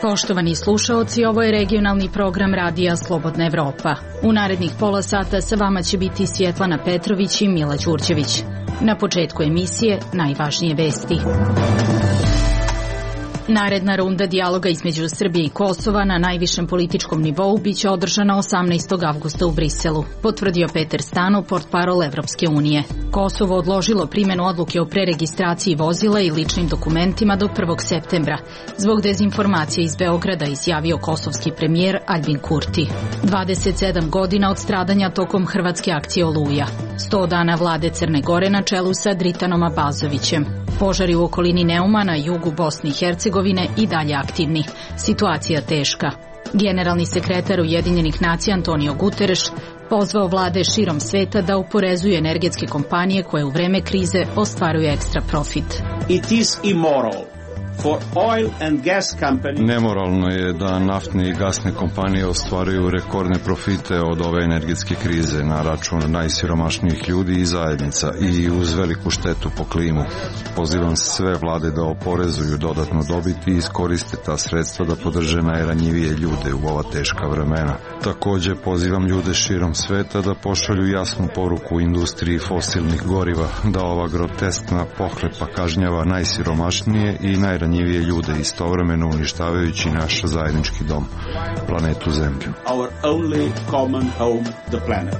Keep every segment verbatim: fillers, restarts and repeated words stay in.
Poštovani slušaoci, ovo je regionalni program Radija Slobodna Evropa. U narednih pola sata sa vama će biti Svjetlana Petrović i Mila Đurđević. Na početku emisije najvažnije vesti. Naredna runda dijaloga između Srbije i Kosova na najvišem političkom nivou biće održana osamnaestog avgusta u Briselu, potvrdio Peter Stano, portparol Evropske unije. Kosovo odložilo primjenu odluke o preregistraciji vozila i ličnim dokumentima do prvog septembra. Zbog dezinformacije iz Beograda izjavio kosovski premijer Aljbin Kurti. dvadeset sedam godina od stradanja tokom hrvatske akcije Oluja. sto dana vlade Crne Gore na čelu sa Dritanom Abazovićem. Požari u okolini Neuma na jugu Bosne i Hercegovine i dalje aktivni. Situacija teška. Generalni sekretar Ujedinjenih nacija Antonio Guterres pozvao vlade širom sveta da oporezuju energetske kompanije koje u vreme krize ostvaruju ekstra profit. It is immoral for oil and gas companies. Nemoralno je da naftne i gasne kompanije ostvaruju rekordne profite od ove energetske krize na račun najsiromašnijih ljudi i zajednica i uz veliku štetu po klimu. Pozivam sve vlade da oporezuju dodatno dobit i iskoriste ta sredstva da podrže najranjivije ljude u ova teška vremena. Takođe pozivam ljude širom sveta da pošalju jasnu poruku industriji fosilnih goriva da ova groteskna pohlepa kažnjava najsiromašnije i najranjivije njivije ljude istovremeno uništavajući naš zajednički dom, planetu Zemlju. Our only common home, the planet.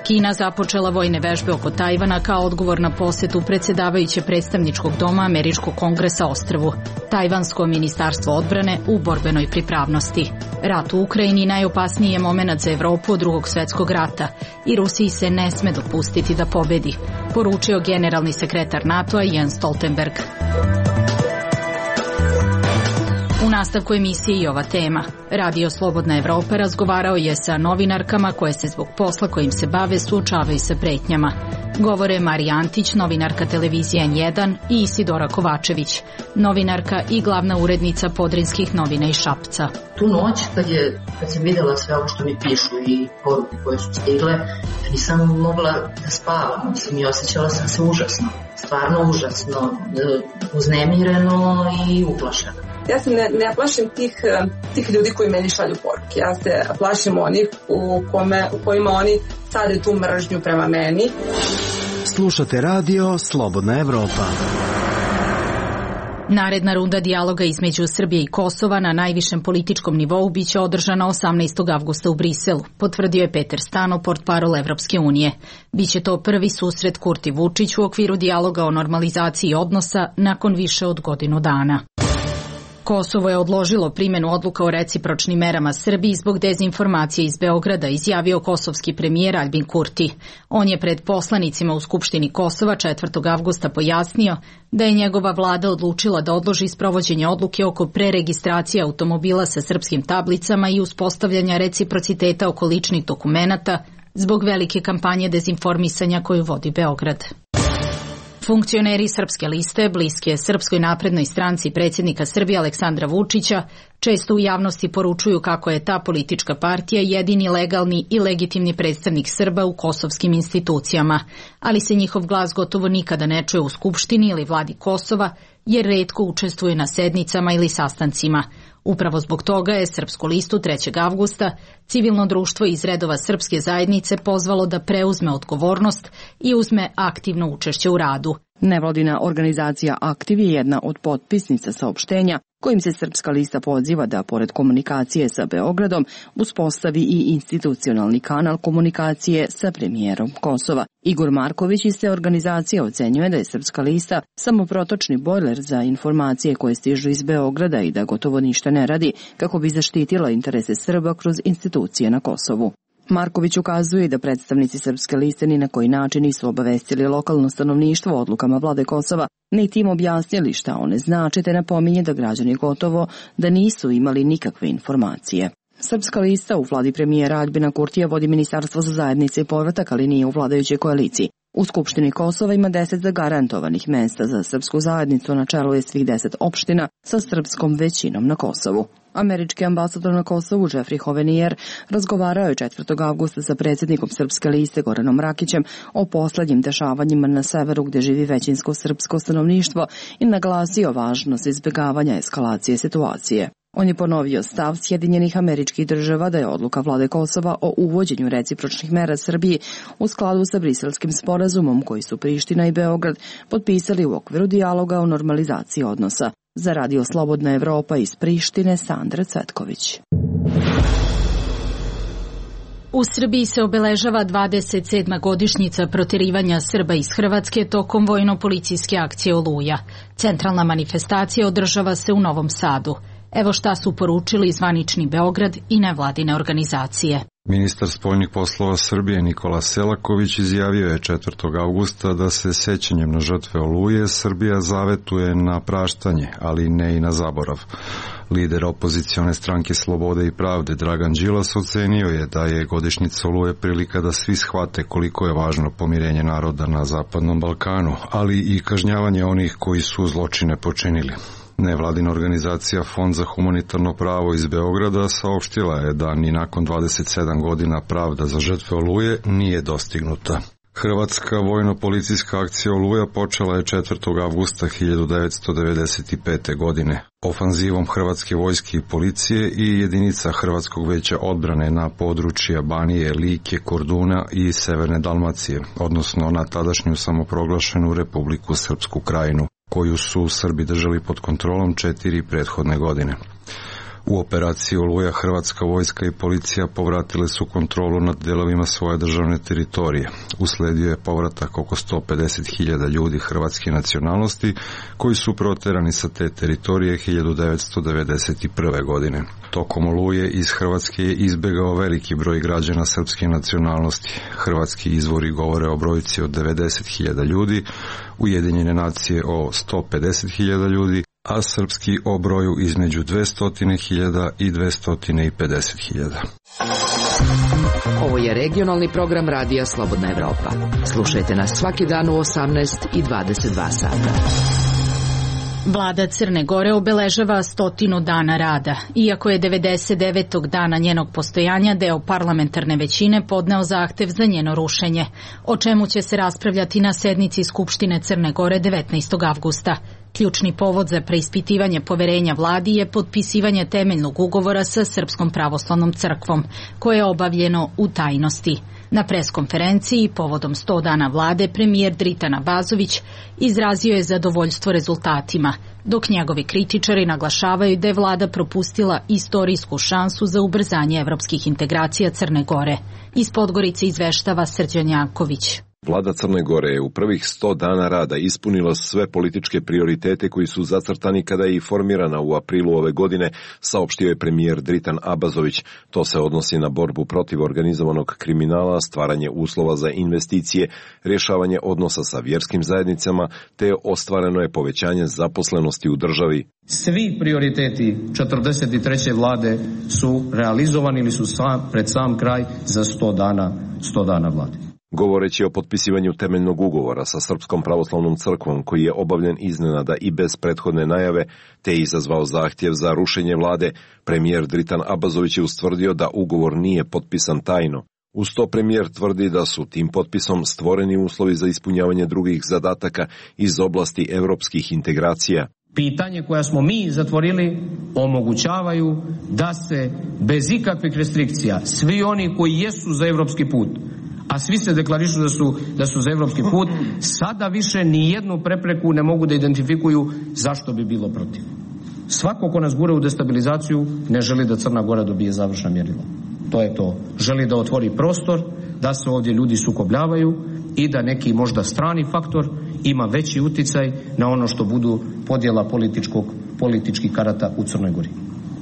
Kina započela vojne vežbe oko Tajvana kao odgovor na posetu predsjedavajuće predstavničkog doma Američkog kongresa ostrvu. Tajvansko ministarstvo odbrane u borbenoj pripravnosti. Rat u Ukrajini najopasniji je moment za Evropu od drugog svjetskog rata i Rusiji se ne sme dopustiti da pobedi, poručio generalni sekretar NATO-a Jens Stoltenberg. U nastavku emisije i ova tema. Radio Slobodna Evropa razgovarao je sa novinarkama koje se zbog posla kojim se bave suočavaju sa pretnjama. Govore Marija Antić, novinarka televizije N jedan, i Isidora Kovačević, novinarka i glavna urednica Podrinskih novina iz Šapca. Tu noć, kad, je, kad sam vidjela sve ovo što mi pišu i poruke koje su stigle, nisam mogla da spavam. Mislim, i osjećala sam se užasno. Stvarno užasno. Uznemireno i uplašeno. Ja se ne, ne plašim tih, tih ljudi koji meni šalju poruke. Ja se plašim onih u, kome, u kojima oni sade tu mržnju prema meni. Slušate radio Slobodna Evropa. Naredna runda dijaloga između Srbije i Kosova na najvišem političkom nivou biće održana osamnaestog avgusta u Briselu, potvrdio je Peter Stano, portparol Evropske unije. Biće to prvi susret Kurti Vučić u okviru dijaloga o normalizaciji odnosa nakon više od godinu dana. Kosovo je odložilo primjenu odluka o recipročnim merama Srbiji zbog dezinformacije iz Beograda, izjavio kosovski premijer Aljbin Kurti. On je pred poslanicima u Skupštini Kosova četvrtog avgusta pojasnio da je njegova vlada odlučila da odloži sprovođenje odluke oko preregistracije automobila sa srpskim tablicama i uspostavljanja reciprociteta oko ličnih dokumenata zbog velike kampanje dezinformisanja koju vodi Beograd. Funkcioneri Srpske liste, bliske Srpskoj naprednoj stranci predsjednika Srbije Aleksandra Vučića, često u javnosti poručuju kako je ta politička partija jedini legalni i legitimni predstavnik Srba u kosovskim institucijama, ali se njihov glas gotovo nikada ne čuje u Skupštini ili vladi Kosova, jer retko učestvuje na sednicama ili sastancima. Upravo zbog toga je Srpsku listu trećeg avgusta civilno društvo iz redova srpske zajednice pozvalo da preuzme odgovornost i uzme aktivno učešće u radu. Nevladina organizacija Aktiv je jedna od potpisnica saopštenja kojim se Srpska lista poziva da, pored komunikacije sa Beogradom, uspostavi i institucionalni kanal komunikacije sa premijerom Kosova. Igor Marković iz te organizacije ocenjuje da je Srpska lista samo protočni bojler za informacije koje stižu iz Beograda i da gotovo ništa ne radi kako bi zaštitila interese Srba kroz institucije na Kosovu. Marković ukazuje da predstavnici Srpske liste ni na koji način nisu obavestili lokalno stanovništvo o odlukama vlade Kosova, niti im objasnili šta one znače, te napominje da građani gotovo da nisu imali nikakve informacije. Srpska lista u vladi premijera Aljbina Kurtija vodi Ministarstvo za zajednice i povratak, ali nije u vladajućoj koaliciji. U Skupštini Kosova ima deset zagarantovanih mesta za srpsku zajednicu, na čelu je svih deset opština sa srpskom većinom na Kosovu. Američki ambasador na Kosovu Jeffrey Hovenier razgovarao je četvrtog avgusta sa predsjednikom Srpske liste Goranom Rakićem o poslednjim dešavanjima na severu gdje živi većinsko srpsko stanovništvo i naglasio važnost izbjegavanja eskalacije situacije. On je ponovio stav Sjedinjenih Američkih Država da je odluka vlade Kosova o uvođenju recipročnih mera Srbiji u skladu sa Briselskim sporazumom koji su Priština i Beograd potpisali u okviru dijaloga o normalizaciji odnosa. Za Radio Slobodna Evropa iz Prištine, Sandra Cvetković. U Srbiji se obeležava dvadeset sedma godišnjica proterivanja Srba iz Hrvatske tokom vojno-policijske akcije Oluja. Centralna manifestacija održava se u Novom Sadu. Evo šta su poručili zvanični Beograd i nevladine organizacije. Ministar spoljnih poslova Srbije Nikola Selaković izjavio je četvrtog avgusta da se sećanjem na žrtve Oluje Srbija zavetuje na praštanje, ali ne i na zaborav. Lider opozicione stranke Slobode i pravde Dragan Đilas ocenio je da je godišnjica Oluje prilika da svi shvate koliko je važno pomirenje naroda na Zapadnom Balkanu, ali i kažnjavanje onih koji su zločine počinili. Nevladina organizacija Fond za humanitarno pravo iz Beograda saopštila je da ni nakon dvadeset sedam godina pravda za žrtve Oluje nije dostignuta. Hrvatska vojno-policijska akcija Oluja počela je četvrtog avgusta hiljadu devetsto devedeset pete. godine. Ofanzivom Hrvatske vojske i policije i jedinica Hrvatskog veća odbrane na područja Banije, Like, Korduna i Severne Dalmacije, odnosno na tadašnju samoproglašenu Republiku Srpsku Krajinu, koju su Srbi držali pod kontrolom četiri prethodne godine. U operaciji Oluja Hrvatska vojska i policija povratile su kontrolu nad delovima svoje državne teritorije. Usledio je povratak oko sto pedeset hiljada ljudi hrvatske nacionalnosti koji su proterani sa te teritorije hiljadu devetsto devedeset prve. godine. Tokom Oluje iz Hrvatske je izbegao veliki broj građana srpske nacionalnosti. Hrvatski izvori govore o brojci od devedeset hiljada ljudi, Ujedinjene nacije o sto pedeset hiljada ljudi, a srpski o broju između dvesta hiljada i dvesta pedeset hiljada. Ovo je regionalni program Radija Slobodna Evropa. Slušajte nas svaki dan u osamnaest i dvadeset dva sata. Vlada Crne Gore obeležava stotinu dana rada, iako je devedeset devetog dana njenog postojanja deo parlamentarne većine podneo zahtev za njeno rušenje, o čemu će se raspravljati na sednici Skupštine Crne Gore devetnaestog avgusta. Ključni povod za preispitivanje poverenja vladi je potpisivanje temeljnog ugovora sa Srpskom pravoslavnom crkvom, koje je obavljeno u tajnosti. Na preskonferenciji povodom sto dana vlade premijer Dritan Abazović izrazio je zadovoljstvo rezultatima, dok njegovi kritičari naglašavaju da je vlada propustila istorijsku šansu za ubrzanje evropskih integracija Crne Gore. Iz Podgorice izveštava Srđan Janković. Vlada Crne Gore je u prvih sto dana rada ispunila sve političke prioritete koji su zacrtani kada je i formirana u aprilu ove godine, saopštio je premijer Dritan Abazović. To se odnosi na borbu protiv organizovanog kriminala, stvaranje uslova za investicije, rješavanje odnosa sa vjerskim zajednicama, te ostvareno je povećanje zaposlenosti u državi. Svi prioriteti četrdeset treće vlade su realizovani ili su sam, pred sam kraj za sto dana, sto dana vlade. Govoreći o potpisivanju temeljnog ugovora sa Srpskom pravoslavnom crkvom, koji je obavljen iznenada i bez prethodne najave, te je izazvao zahtjev za rušenje vlade, premijer Dritan Abazović je ustvrdio da ugovor nije potpisan tajno. Uz to premijer tvrdi da su tim potpisom stvoreni uslovi za ispunjavanje drugih zadataka iz oblasti evropskih integracija. Pitanje koja smo mi zatvorili omogućavaju da se bez ikakvih restrikcija svi oni koji jesu za evropski put, a svi se deklarišu da su, da su za evropski put, sada više ni jednu prepreku ne mogu da identifikuju zašto bi bilo protiv. Svako ko nas gura u destabilizaciju ne želi da Crna Gora dobije završna mjerila. To je to. Želi da otvori prostor, da se ovdje ljudi sukobljavaju i da neki možda strani faktor ima veći uticaj na ono što budu podjela političkog, političkih karata u Crnoj Gori.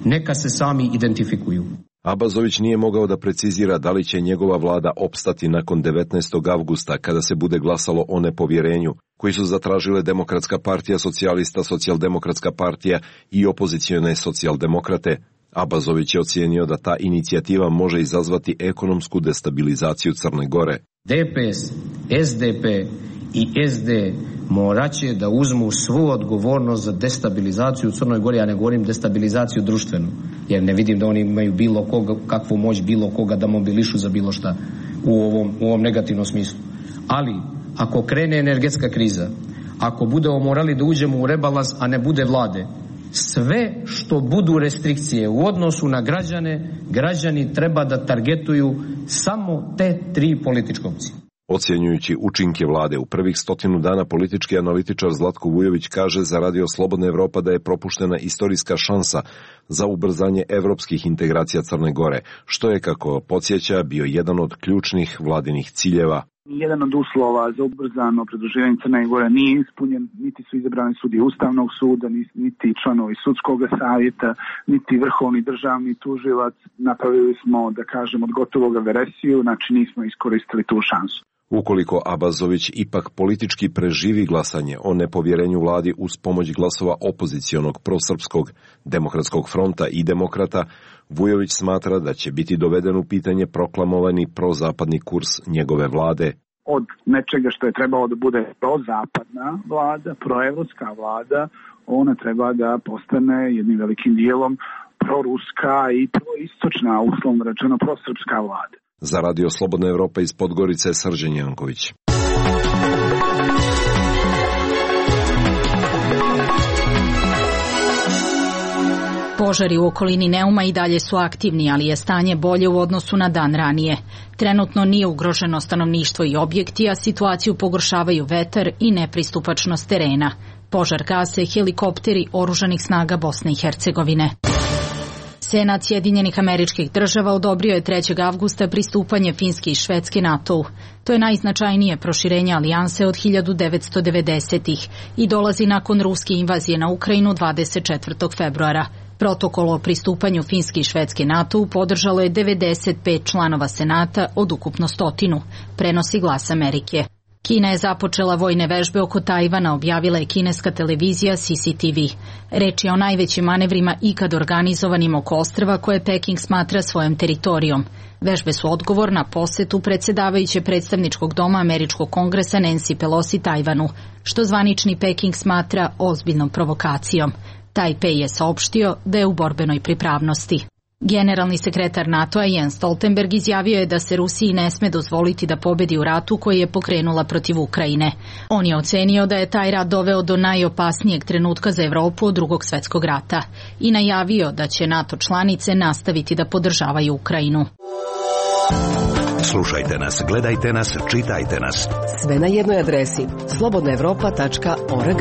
Neka se sami identifikuju. Abazović nije mogao da precizira da li će njegova vlada opstati nakon devetnaestog avgusta kada se bude glasalo o nepovjerenju, koji su zatražile Demokratska partija socijalista, Socijaldemokratska partija i opozicione socijaldemokrate. Abazović je ocijenio da ta inicijativa može izazvati ekonomsku destabilizaciju Crne Gore. D P S, S D P i S D moraće da uzmu svu odgovornost za destabilizaciju u Crnoj Gori, ja ne govorim destabilizaciju društvenu, jer ne vidim da oni imaju bilo koga, kakvu moć bilo koga da mobilišu za bilo šta u ovom, u ovom negativnom smislu. Ali, ako krene energetska kriza, ako budemo morali da uđemo u rebalans, a ne bude vlade, sve što budu restrikcije u odnosu na građane, građani treba da targetuju samo te tri političke opcije. Ocjenjujući učinke vlade u prvih stotinu dana, politički analitičar Zlatko Vujović kaže za Radio Slobodna Evropa da je propuštena istorijska šansa za ubrzanje evropskih integracija Crne Gore, što je, kako podsjeća, bio jedan od ključnih vladinih ciljeva. Jedan od uslova za ubrzano pridruživanje Crne Gore nije ispunjen, niti su izabrani sudije Ustavnog suda, niti članovi sudskog savjeta, niti vrhovni državni tužilac. Napravili smo, da kažem, od gotovoga veresiju, znači nismo iskoristili tu šansu. Ukoliko Abazović ipak politički preživi glasanje o nepovjerenju vladi uz pomoć glasova opozicionog prosrpskog demokratskog fronta i demokrata, Vujović smatra da će biti doveden u pitanje proklamovani prozapadni kurs njegove vlade. Od nečega što je trebalo da bude prozapadna vlada, proevropska vlada, ona treba da postane jednim velikim dijelom proruska i proistočna, uslovno rečeno prosrpska vlada. Za Radio Slobodna Evropa iz Podgorice, Srđan Janković. Požari u okolini Neuma i dalje su aktivni, ali je stanje bolje u odnosu na dan ranije. Trenutno nije ugroženo stanovništvo i objekti, a situaciju pogoršavaju vetar i nepristupačnost terena. Požar gase helikopteri oružanih snaga Bosne i Hercegovine. Senat Sjedinjenih Američkih Država odobrio je trećeg avgusta pristupanje Finske i Švedske NATO-u. To je najznačajnije proširenje alijanse od hiljadu devetsto devedesetih i dolazi nakon ruske invazije na Ukrajinu dvadeset četvrtog februara. Protokol o pristupanju Finske i Švedske NATO-u podržalo je devedeset pet članova Senata od ukupno stotinu, prenosi Glas Amerike. Kina je započela vojne vežbe oko Tajvana, objavila je kineska televizija C C T V. Reč je o najvećim manevrima ikad organizovanim oko ostrva koje Peking smatra svojom teritorijom. Vežbe su odgovor na posetu predsjedavajuće predstavničkog doma Američkog kongresa Nancy Pelosi Tajvanu, što zvanični Peking smatra ozbiljnom provokacijom. Tajpej je saopštio da je u borbenoj pripravnosti. Generalni sekretar NATO-a Jens Stoltenberg izjavio je da se Rusiji ne sme dozvoliti da pobedi u ratu koji je pokrenula protiv Ukrajine. On je ocenio da je taj rat doveo do najopasnijeg trenutka za Evropu od Drugog svjetskog rata i najavio da će NATO članice nastaviti da podržavaju Ukrajinu. Slušajte nas, gledajte nas, čitajte nas. Sve na jednoj adresi slobodna evropa tačka org.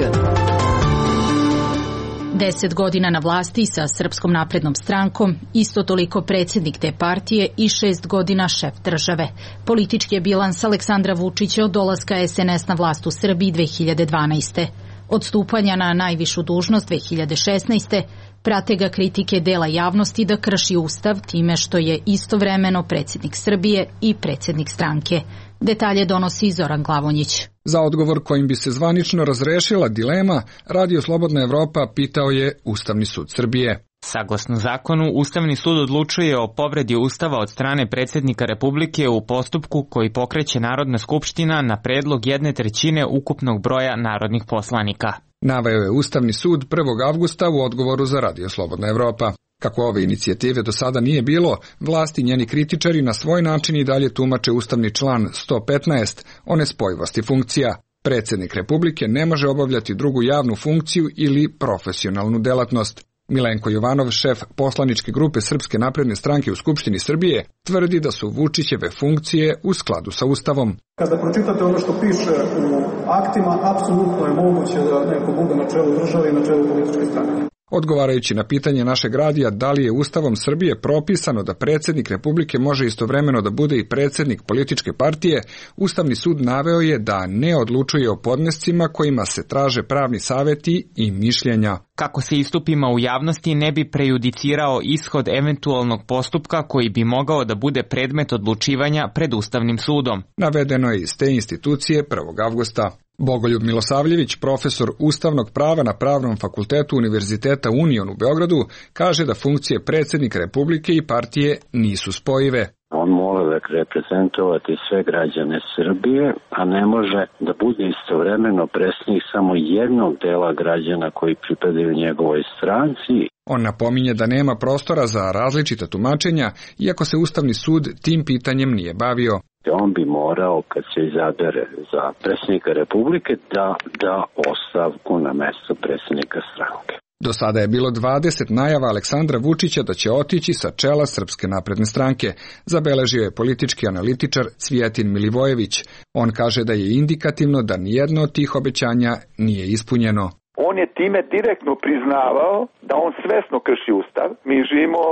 Deset godina na vlasti sa Srpskom naprednom strankom, isto toliko predsjednik te partije i šest godina šef države. Politički je bilans Aleksandra Vučića od dolaska S N S na vlast u Srbiji dve hiljade dvanaeste. Od stupanja na najvišu dužnost dve hiljade šesnaeste. prate ga kritike dela javnosti da krši ustav time što je istovremeno predsjednik Srbije i predsjednik stranke. Detalje donosi Zoran Glavonjić. Za odgovor kojim bi se zvanično razrešila dilema, Radio Slobodna Evropa pitao je Ustavni sud Srbije. Saglasno zakonu, Ustavni sud odlučuje o povredi Ustava od strane predsjednika Republike u postupku koji pokreće Narodna skupština na predlog jedne trećine ukupnog broja narodnih poslanika. Naveo je Ustavni sud prvog avgusta u odgovoru za Radio Slobodna Evropa. Kako ove inicijative do sada nije bilo, vlasti i njeni kritičari na svoj način i dalje tumače ustavni član sto petnaest o nespojivosti funkcija. Predsjednik Republike ne može obavljati drugu javnu funkciju ili profesionalnu delatnost. Milenko Jovanov, šef poslaničke grupe Srpske napredne stranke u Skupštini Srbije, tvrdi da su Vučićeve funkcije u skladu sa Ustavom. Kada pročitate ono što piše u aktima, apsolutno je moguće da neko bude na čelu države i na čelu političke stranke. Odgovarajući na pitanje našeg radija da li je Ustavom Srbije propisano da predsjednik Republike može istovremeno da bude i predsjednik političke partije, Ustavni sud naveo je da ne odlučuje o podnescima kojima se traže pravni savjeti i mišljenja. Kako se istupima u javnosti ne bi prejudicirao ishod eventualnog postupka koji bi mogao da bude predmet odlučivanja pred Ustavnim sudom. Navedeno je iz te institucije prvog avgusta. Bogoljub Milosavljević, profesor ustavnog prava na Pravnom fakultetu Univerziteta Union u Beogradu, kaže da funkcije predsjednika Republike i partije nisu spojive. On mora reprezentovati sve građane Srbije, a ne može da bude istovremeno predsjednik samo jednog dela građana koji pripadaju njegovoj stranci. On napominje da nema prostora za različita tumačenja, iako se Ustavni sud tim pitanjem nije bavio. On bi morao, kad se izabere za predsjednika Republike, da da ostavku na mesto predsjednika stranke. Do sada je bilo dvadeset najava Aleksandra Vučića da će otići sa čela Srpske napredne stranke, zabeležio je politički analitičar Cvijetin Milivojević. On kaže da je indikativno da nijedno od tih obećanja nije ispunjeno. On je time direktno priznavao da on svesno krši ustav. Mi živimo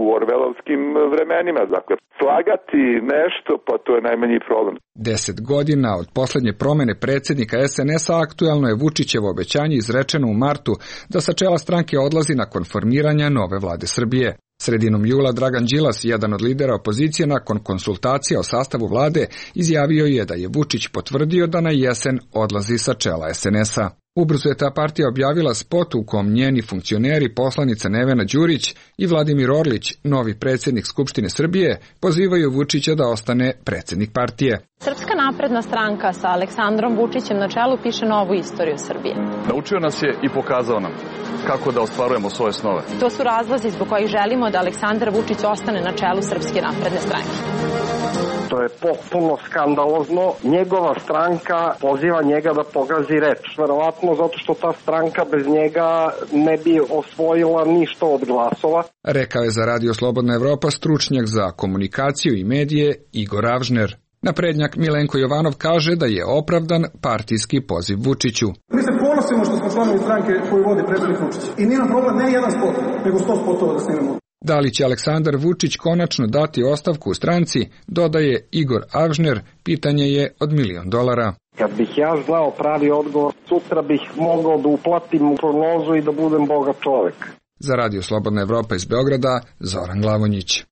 u orvelovskim vremenima, dakle slagati nešto, pa to je najmanji problem. Deset godina od poslednje promene predsjednika es en es-a aktuelno je Vučićevo obećanje izrečeno u martu da sa čela stranke odlazi nakon formiranja nove vlade Srbije. Sredinom jula Dragan Đilas, jedan od lidera opozicije, nakon konsultacija o sastavu vlade, izjavio je da je Vučić potvrdio da na jesen odlazi sa čela es en es-a. Ubrzo je ta partija objavila spot u kom njeni funkcioneri, poslanica Nevena Đurić i Vladimir Orlić, novi predsjednik Skupštine Srbije, pozivaju Vučića da ostane predsjednik partije. Srpska napredna stranka sa Aleksandrom Vučićem na čelu piše novu istoriju Srbije. Naučio nas je i pokazao nam kako da ostvarujemo svoje snove. To su razlozi zbog kojih želimo da Aleksandar Vučić ostane na čelu Srpske napredne stranke. To je potpuno skandalozno. Njegova stranka poziva njega da pogazi reč. Verovatno zato što ta stranka bez njega ne bi osvojila ništa od glasova. Rekao je za Radio Slobodna Evropa stručnjak za komunikaciju i medije Igor Avžner. Naprednjak Milenko Jovanov kaže da je opravdan partijski poziv Vučiću. Mi se ponosimo što smo članovi stranke koju vodi predsjednik Vučić. I nije nam problem ne jedan spot, nego sto spotova da snimamo. Da li će Aleksandar Vučić konačno dati ostavku u stranci, dodaje Igor Avžner, pitanje je od milion dolara. Kad bih ja znao pravi odgovor, sutra bih mogao da uplatim u prognozu i da budem bogat čovek. Za Radio Slobodna Evropa iz Beograda, Zoran Glavonjić.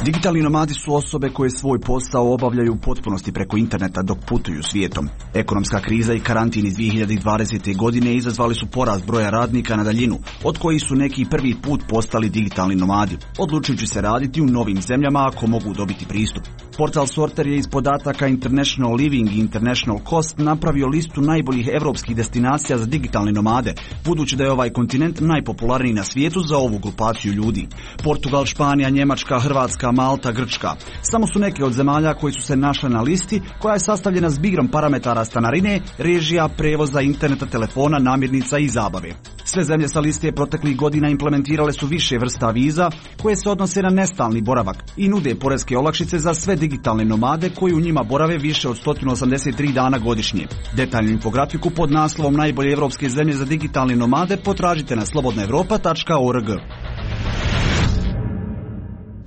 Digitalni nomadi su osobe koje svoj posao obavljaju u potpunosti preko interneta dok putuju svijetom. Ekonomska kriza i karantin iz dvije hiljade dvadesete. godine izazvali su porast broja radnika na daljinu, od kojih su neki prvi put postali digitalni nomadi, odlučujući se raditi u novim zemljama ako mogu dobiti pristup. Portal Sorter je iz podataka International Living i International Cost napravio listu najboljih evropskih destinacija za digitalne nomade, budući da je ovaj kontinent najpopularniji na svijetu za ovu grupaciju ljudi. Portugal, Španija, Njemačka, Hrvatska, Malta, Grčka. Samo su neke od zemalja koji su se našle na listi koja je sastavljena zbigrom parametara stanarine, režija, prevoza, interneta, telefona, namirnica i zabave. Sve zemlje sa liste proteklih godina implementirale su više vrsta viza koje se odnose na nestalni boravak i nude poreske olakšice za sve digitalne nomade koji u njima borave više od sto osamdeset tri dana godišnje. Detaljnu infografiku pod naslovom Najbolje evropske zemlje za digitalne nomade potražite na slobodna evropa tačka org.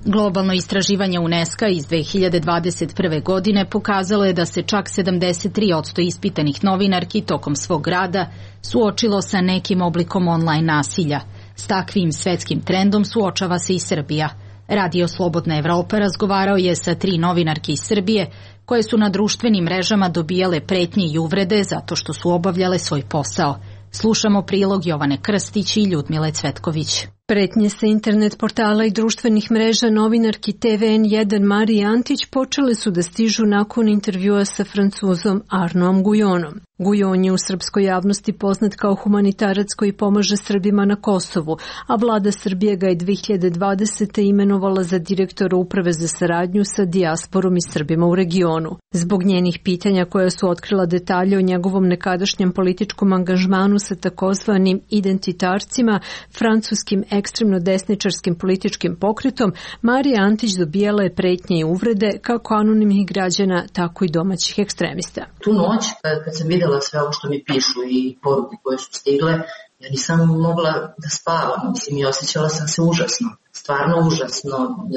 Globalno istraživanje UNESCO iz dve hiljade dvadeset prve. godine pokazalo je da se čak sedamdeset tri posto ispitanih novinarki tokom svog rada suočilo sa nekim oblikom online nasilja. S takvim svetskim trendom suočava se i Srbija. Radio Slobodna Evropa razgovarao je sa tri novinarke iz Srbije koje su na društvenim mrežama dobijale pretnje i uvrede zato što su obavljale svoj posao. Slušamo prilog Jovane Krstić i Ljudmile Cvetković. Pretnje sa internet portala i društvenih mreža novinarki te ve en jedan Mariji Antić počele su da stižu nakon intervjua sa Francuzom Arnaudom Gujonom. Gujon je u srpskoj javnosti poznat kao humanitarac koji pomaže Srbima na Kosovu, a vlada Srbije ga je dve hiljade dvadesete. imenovala za direktora uprave za saradnju sa dijasporom i Srbima u regionu. Zbog njenih pitanja koja su otkrila detalje o njegovom nekadašnjem političkom angažmanu sa takozvanim identitarcima, francuskim ekstremno desničarskim političkim pokretom, Marija Antić dobijala je pretnje i uvrede kako anonimnih građana, tako i domaćih ekstremista. Tu noć, kad sam videla sve ovo što mi pišu i poruke koje su stigle, ja nisam mogla da spavam, mislim, i osjećala sam se užasno, stvarno užasno,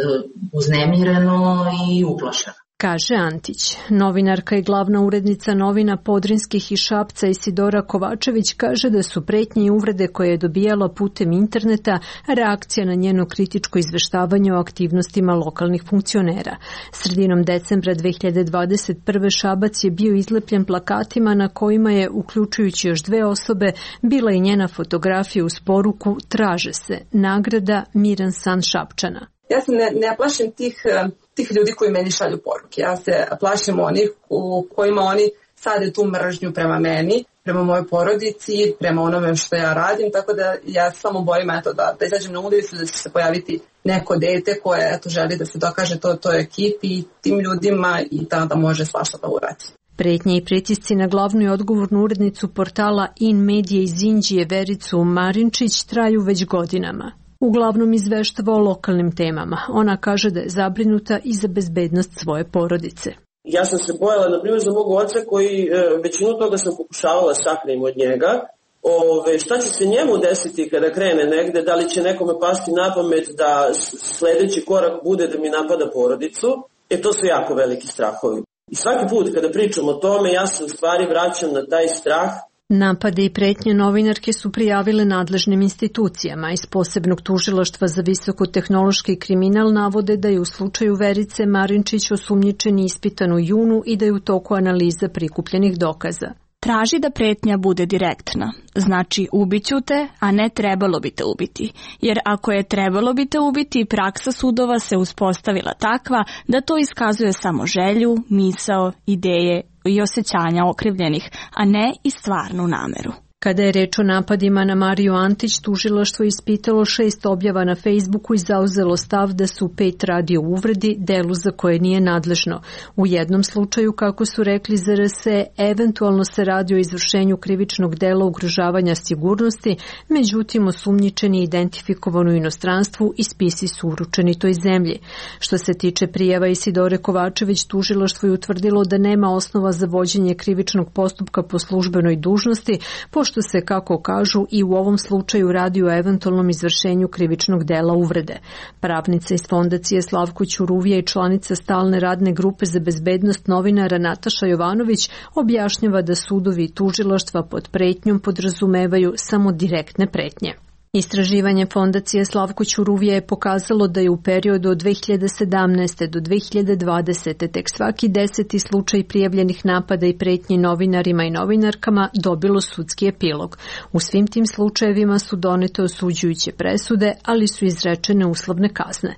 uznemireno i uplašeno. Kaže Antić. Novinarka i glavna urednica novina Podrinskih i Šapca Isidora Kovačević kaže da su pretnje i uvrede koje je dobijala putem interneta reakcija na njeno kritičko izveštavanje o aktivnostima lokalnih funkcionera. Sredinom decembra dve hiljade dvadeset prve. Šabac je bio izlepljen plakatima na kojima je, uključujući još dve osobe, bila i njena fotografija uz poruku "Traže se, nagrada Miran san Šapčana". Ja se ne, ne plašim tih, tih ljudi koji meni šalju poruke. Ja se plašim onih u kojima oni sade tu mržnju prema meni, prema mojoj porodici, prema onome što ja radim, tako da ja samo bojim eto, da, da izađem na ulicu, da će se pojaviti neko dete koje eto, želi da se dokaže to toj ekipi i tim ljudima i tada može svašta da uradi. Pretnje i pritisci na glavnu i odgovornu urednicu portala In Media iz Inđije Vericu Marinčić traju već godinama. Uglavnom izveštava o lokalnim temama. Ona kaže da je zabrinuta i za bezbednost svoje porodice. Ja sam se bojala, na primjer, za mog oca koji većinu toga sam pokušavala sakrim od njega. Ove, šta će se njemu desiti kada krene negde, da li će nekome pasti na pamet da sledeći korak bude da mi napada porodicu, e to su jako veliki strahovi. I svaki put kada pričam o tome, ja se u stvari vraćam na taj strah. Napade i pretnje novinarke su prijavile nadležnim institucijama. Iz posebnog tužilaštva za visokotehnološki kriminal navode da je u slučaju Verice Marinčić osumnjičen i ispitan u junu i da je u toku analiza prikupljenih dokaza. Traži da pretnja bude direktna. Znači ubiću te, a ne trebalo bi te ubiti. Jer ako je trebalo bi te ubiti, praksa sudova se uspostavila takva da to iskazuje samo želju, misao, ideje i osjećanja okrivljenih, a ne i stvarnu nameru. Kada je reč o napadima na Mariju Antić, tužilaštvo ispitalo šest objava na Facebooku i zauzelo stav da su pet radi o uvredi, delu za koje nije nadležno. U jednom slučaju, kako su rekli za R S E, eventualno se radi o izvršenju krivičnog dela ugrožavanja sigurnosti, međutim osumnjičeni je identifikovan u inostranstvu i spisi su uručeni toj zemlji. Što se tiče prijava Isidore Kovačević, tužilaštvo je utvrdilo da nema osnova za vođenje krivičnog postupka po službenoj dužnosti, pošto što se, kako kažu, i u ovom slučaju radi o eventualnom izvršenju krivičnog dela uvrede. Pravnica iz fondacije Slavko Ćuruvija i članica stalne radne grupe za bezbednost novinara Nataša Jovanović objašnjava da sudovi i tužilaštva pod pretnjom podrazumevaju samo direktne pretnje. Istraživanje fondacije Slavko Ćuruvija je pokazalo da je u periodu od dve hiljade sedamnaeste do dve hiljade dvadesete tek svaki deseti slučaj prijavljenih napada i pretnji novinarima i novinarkama dobilo sudski epilog. U svim tim slučajevima su donete osuđujuće presude, ali su izrečene uslovne kazne.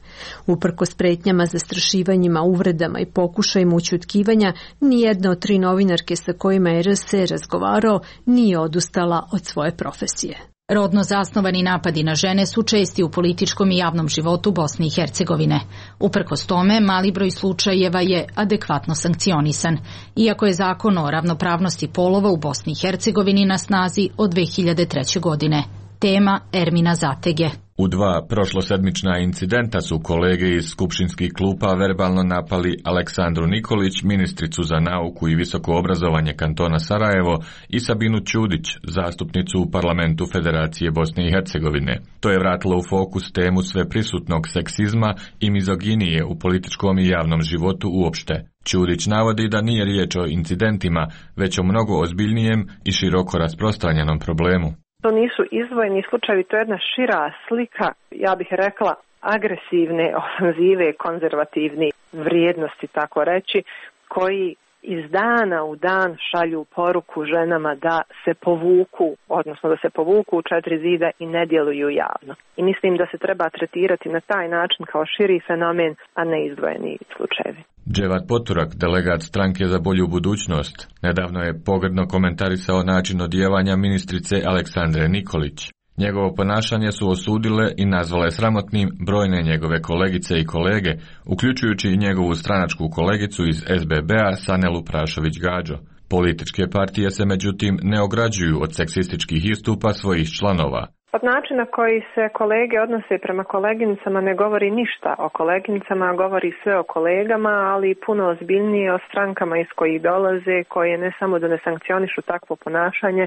Uprkos pretnjama, zastrašivanjima, uvredama i pokušajima ućutkivanja, nijedna od tri novinarke sa kojima je R S E razgovarao nije odustala od svoje profesije. Rodno zasnovani napadi na žene su česti u političkom i javnom životu Bosne i Hercegovine. Uprkos tome, mali broj slučajeva je adekvatno sankcionisan, iako je zakon o ravnopravnosti polova u Bosni i Hercegovini na snazi od dve hiljade treće. godine. Tema Ermina Zatege. U dva prošlosedmična incidenta su kolege iz skupštinskih klupa verbalno napali Aleksandru Nikolić, ministricu za nauku i visoko obrazovanje kantona Sarajevo, i Sabinu Ćudić, zastupnicu u parlamentu Federacije Bosne i Hercegovine. To je vratilo u fokus temu sveprisutnog seksizma i mizoginije u političkom i javnom životu uopšte. Ćudić navodi da nije riječ o incidentima, već o mnogo ozbiljnijem i široko rasprostranjenom problemu. To nisu izdvojeni slučajevi, to je jedna šira slika, ja bih rekla, agresivne ofanzive, konzervativne vrijednosti, tako reći, koji iz dana u dan šalju poruku ženama da se povuku, odnosno da se povuku u četiri zida i ne djeluju javno. I mislim da se treba tretirati na taj način kao širi fenomen, a ne izdvojeni slučajevi. Dževat Poturak, delegat stranke za bolju budućnost, nedavno je pogrdno komentarisao način odjevanja ministrice Aleksandre Nikolić. Njegovo ponašanje su osudile i nazvale sramotnim brojne njegove kolegice i kolege, uključujući i njegovu stranačku kolegicu iz S B B-a Sanelu Prašović-Gađo. Političke partije se međutim ne ograđuju od seksističkih istupa svojih članova. Od načina koji se kolege odnose prema koleginicama ne govori ništa o koleginicama, govori sve o kolegama, ali puno ozbiljnije o strankama iz kojih dolaze, koje ne samo da ne sankcionišu takvo ponašanje,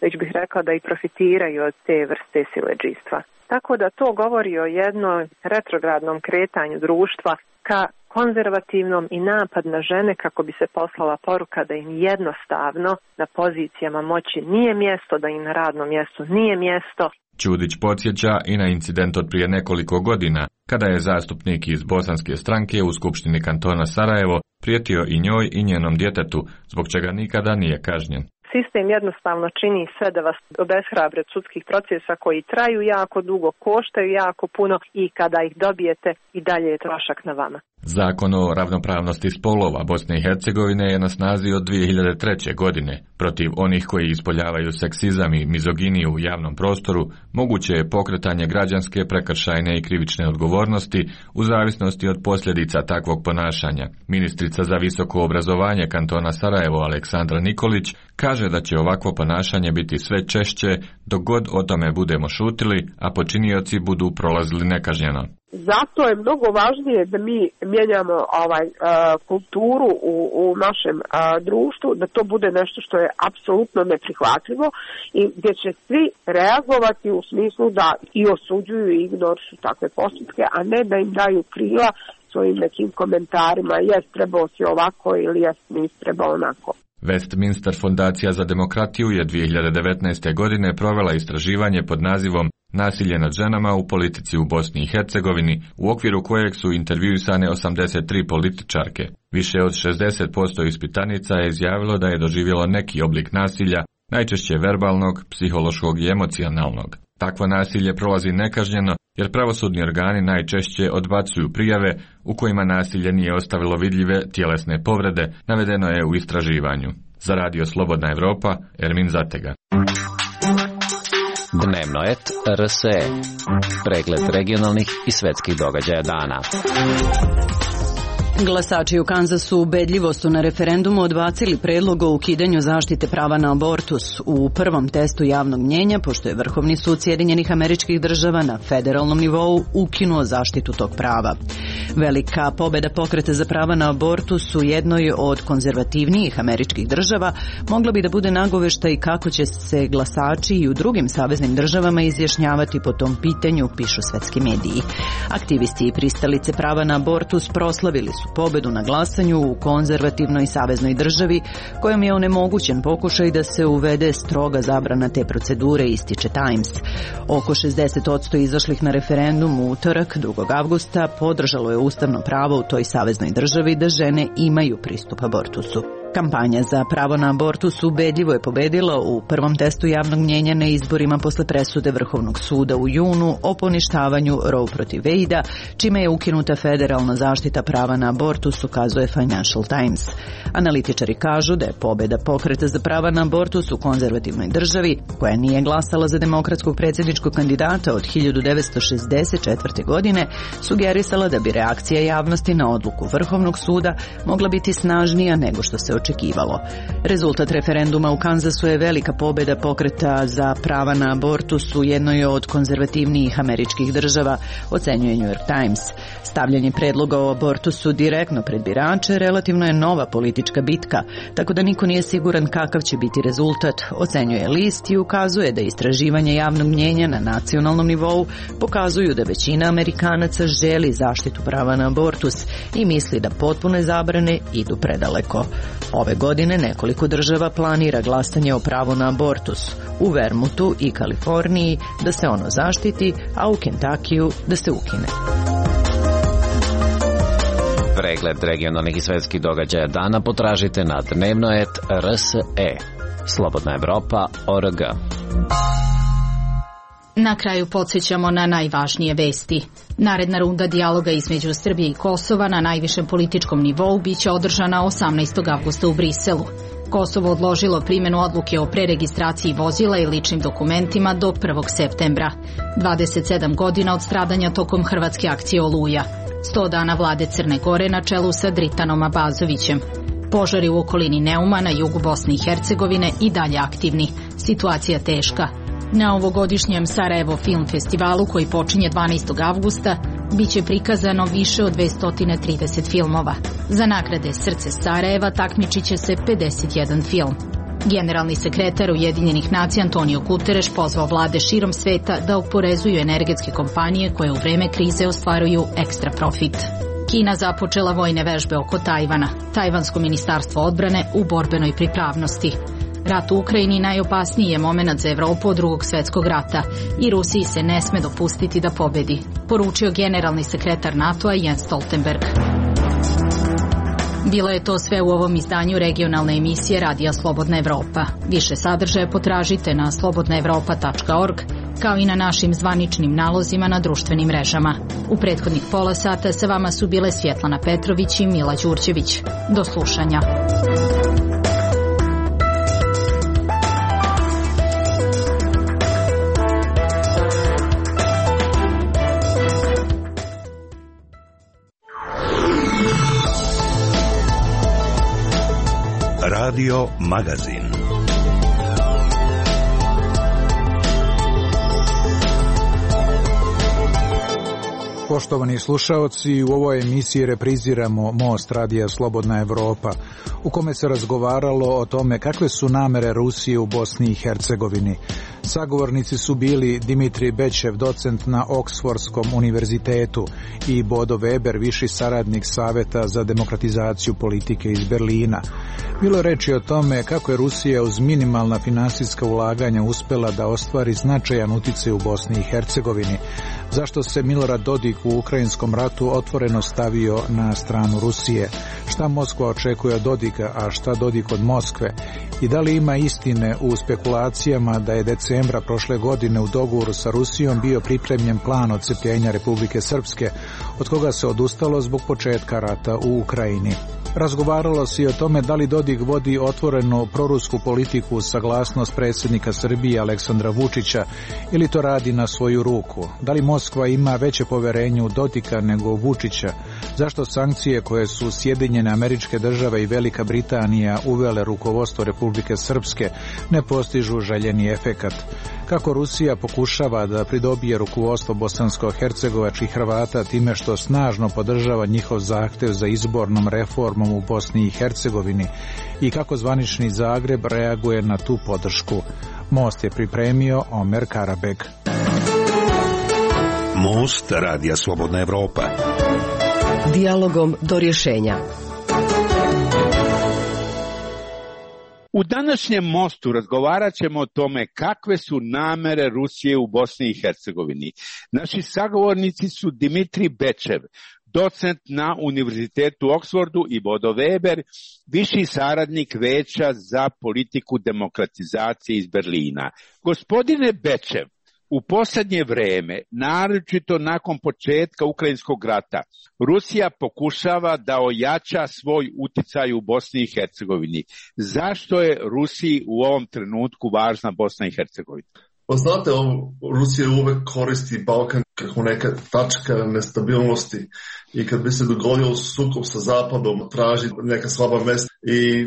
već bih rekla da i profitiraju od te vrste siledžijstva. Tako da to govori o jednom retrogradnom kretanju društva ka konzervativnom i napad na žene kako bi se poslala poruka da im jednostavno na pozicijama moći nije mjesto, da im na radnom mjestu nije mjesto. Ćudić podsjeća i na incident od prije nekoliko godina, kada je zastupnik iz bosanske stranke u Skupštini kantona Sarajevo prijetio i njoj i njenom djetetu, zbog čega nikada nije kažnjen. Sistem jednostavno čini sve da vas obeshrabre od sudskih procesa koji traju jako dugo, koštaju jako puno i kada ih dobijete i dalje je trošak na vama. Zakon o ravnopravnosti spolova Bosne i Hercegovine je na snazi od dvije hiljade treće. godine. Protiv onih koji ispoljavaju seksizam i mizoginiju u javnom prostoru moguće je pokretanje građanske, prekršajne i krivične odgovornosti u zavisnosti od posljedica takvog ponašanja. Ministrica za visoko obrazovanje kantona Sarajevo Aleksandra Nikolić kaže da će ovakvo ponašanje biti sve češće dok god o tome budemo šutili, a počinioci budu prolazili nekažnjeno. Zato je mnogo važnije da mi mijenjamo ovaj uh, kulturu u, u našem uh, društvu, da to bude nešto što je apsolutno neprihvatljivo i gdje će svi reagovati u smislu da i osuđuju i ignorišu takve postupke, a ne da im daju krila svojim nekim komentarima, jes trebao si ovako ili jes nisi trebao onako. Westminster fondacija za demokratiju je dvije hiljade devetnaeste. godine provela istraživanje pod nazivom Nasilje nad ženama u politici u Bosni i Hercegovini, u okviru kojeg su intervjuisane osamdeset tri političarke. Više od šezdeset posto ispitanica je izjavilo da je doživjelo neki oblik nasilja, najčešće verbalnog, psihološkog i emocionalnog. Takvo nasilje prolazi nekažnjeno jer pravosudni organi najčešće odbacuju prijave u kojima nasilje nije ostavilo vidljive tjelesne povrede, navedeno je u istraživanju. Za Radio Slobodna Evropa, Ermin Zatega. Dnevno et R S E. Pregled regionalnih i svetskih događaja dana. Glasači u Kanzasu ubedljivo su na referendumu odbacili predlog o ukidanju zaštite prava na abortus u prvom testu javnog mnjenja, pošto je Vrhovni sud Sjedinjenih Američkih Država na federalnom nivou ukinuo zaštitu tog prava. Velika pobeda pokreta za prava na abortus u jednoj od konzervativnijih američkih država mogla bi da bude nagoveštaj kako će se glasači i u drugim saveznim državama izjašnjavati po tom pitanju, pišu svetski mediji. Aktivisti i pristalice prava na abortus proslavili su pobedu na glasanju u konzervativnoj saveznoj državi, kojom je onemogućen pokušaj da se uvede stroga zabrana te procedure, ističe Times. Oko šezdeset posto izašlih na referendum u utorak, drugog avgusta, podržalo je ustavno pravo u toj saveznoj državi da žene imaju pristup abortusu. Kampanja za pravo na abortus ubedljivo je pobedila u prvom testu javnog mnjenja na izborima posle presude Vrhovnog suda u junu o poništavanju Roe protiv Wade-a, čime je ukinuta federalna zaštita prava na abortus, ukazuje Financial Times. Analitičari kažu da je pobeda pokreta za prava na abortus u konzervativnoj državi, koja nije glasala za demokratskog predsjedničkog kandidata od hiljadu devetsto šezdeset četvrte. godine, sugerisala da bi reakcija javnosti na odluku Vrhovnog suda mogla biti snažnija nego što se očekivalo. Rezultat referenduma u Kanzasu je velika pobeda pokreta za prava na abortus u jednoj od konzervativnijih američkih država, ocenjuje New York Times. Stavljanje predloga o abortusu direktno pred birače relativno je nova politička bitka, tako da niko nije siguran kakav će biti rezultat, ocenjuje list i ukazuje da istraživanje javnog mnjenja na nacionalnom nivou pokazuju da većina Amerikanaca želi zaštitu prava na abortus i misli da potpune zabrane idu predaleko. Ove godine nekoliko država planira glasanje o pravu na abortus. U Vermontu i Kaliforniji da se ono zaštiti, a u Kentakiju da se ukine. Pregled regionalnih i svetskih događaja dana potražite na dnevno et R S E. Slobodna Evropa O R G. Na kraju podsjećamo na najvažnije vesti. Naredna runda dijaloga između Srbije i Kosova na najvišem političkom nivou biće održana osamnaestog avgusta u Briselu. Kosovo odložilo primjenu odluke o preregistraciji vozila i ličnim dokumentima do prvog septembra. dvadeset sedam godina od stradanja tokom hrvatske akcije Oluja. sto dana vlade Crne Gore na čelu sa Dritanom Abazovićem. Požari u okolini Neuma na jugu Bosne i Hercegovine i dalje aktivni. Situacija teška. Na ovogodišnjem Sarajevo Film Festivalu, koji počinje dvanaestog avgusta, biće prikazano više od dvesta trideset filmova. Za nagrade Srce Sarajeva takmičit će se pedeset jedan film. Generalni sekretar Ujedinjenih nacija Antonio Guterres pozvao vlade širom sveta da oporezuju energetske kompanije koje u vreme krize ostvaruju ekstra profit. Kina započela vojne vežbe oko Tajvana. Tajvansko ministarstvo odbrane u borbenoj pripravnosti. Rat u Ukrajini najopasniji je moment za Evropu od drugog svjetskog rata i Rusiji se ne sme dopustiti da pobedi, poručio generalni sekretar NATO-a Jens Stoltenberg. Bilo je to sve u ovom izdanju regionalne emisije Radija Slobodna Evropa. Više sadržaja potražite na slobodna evropa tačka org kao i na našim zvaničnim nalozima na društvenim mrežama. U prethodnih pola sata sa vama su bile Svjetlana Petrović i Mila Đurđević. Do slušanja. Radio Magazin. Poštovani slušaoci, u ovoj emisiji repriziramo Most radija Slobodna Evropa, u kome se razgovaralo o tome kakve su namere Rusije u Bosni i Hercegovini. Sagovornici su bili Dimitrij Bečev, docent na Oksfordskom univerzitetu, i Bodo Weber, viši saradnik Saveta za demokratizaciju politike iz Berlina. Bilo je reči o tome kako je Rusija uz minimalna finansijska ulaganja uspela da ostvari značajan uticaj u Bosni i Hercegovini, zašto se Milorad Dodik u ukrajinskom ratu otvoreno stavio na stranu Rusije, šta Moskva očekuje od Dodika, a šta Dodik od Moskve, i da li ima istine u spekulacijama da je decembra prošle godine u dogovoru sa Rusijom bio pripremljen plan odcepljenja Republike Srpske, od koga se odustalo zbog početka rata u Ukrajini. Razgovaralo se i o tome da li Dodik vodi otvoreno prorusku politiku uz saglasnost predsjednika Srbije Aleksandra Vučića ili to radi na svoju ruku. Da li Moskva ima veće poverenje u Dodika nego u Vučića? Zašto sankcije koje su Sjedinjene Američke Države i Velika Britanija uvele rukovodstvo Republike Srpske ne postižu željeni efekat? Kako Rusija pokušava da pridobije rukovodstvo bosansko-hercegovačkih Hrvata time što snažno podržava njihov zahtev za izbornom reformom u Bosni i Hercegovini i kako zvanični Zagreb reaguje na tu podršku? Most je pripremio Omer Karabek. Most radija Slobodna Evropa. Dijalogom do rješenja. U današnjem mostu razgovarat ćemo o tome kakve su namere Rusije u Bosni i Hercegovini. Naši sagovornici su Dimitrij Bečev, docent na Univerzitetu u Oksfordu, i Bodo Weber, viši saradnik Veća za politiku demokratizacije iz Berlina. Gospodine Bečev, u posljednje vreme, naročito nakon početka Ukrajinskog rata, Rusija pokušava da ojača svoj uticaj u Bosni i Hercegovini. Zašto je Rusiji u ovom trenutku važna Bosna i Hercegovina? Pa znate, Rusija uvek koristi Balkan kako neka tačka nestabilnosti i kad bi se dogodio sukob sa Zapadom, traži neka slaba mesta i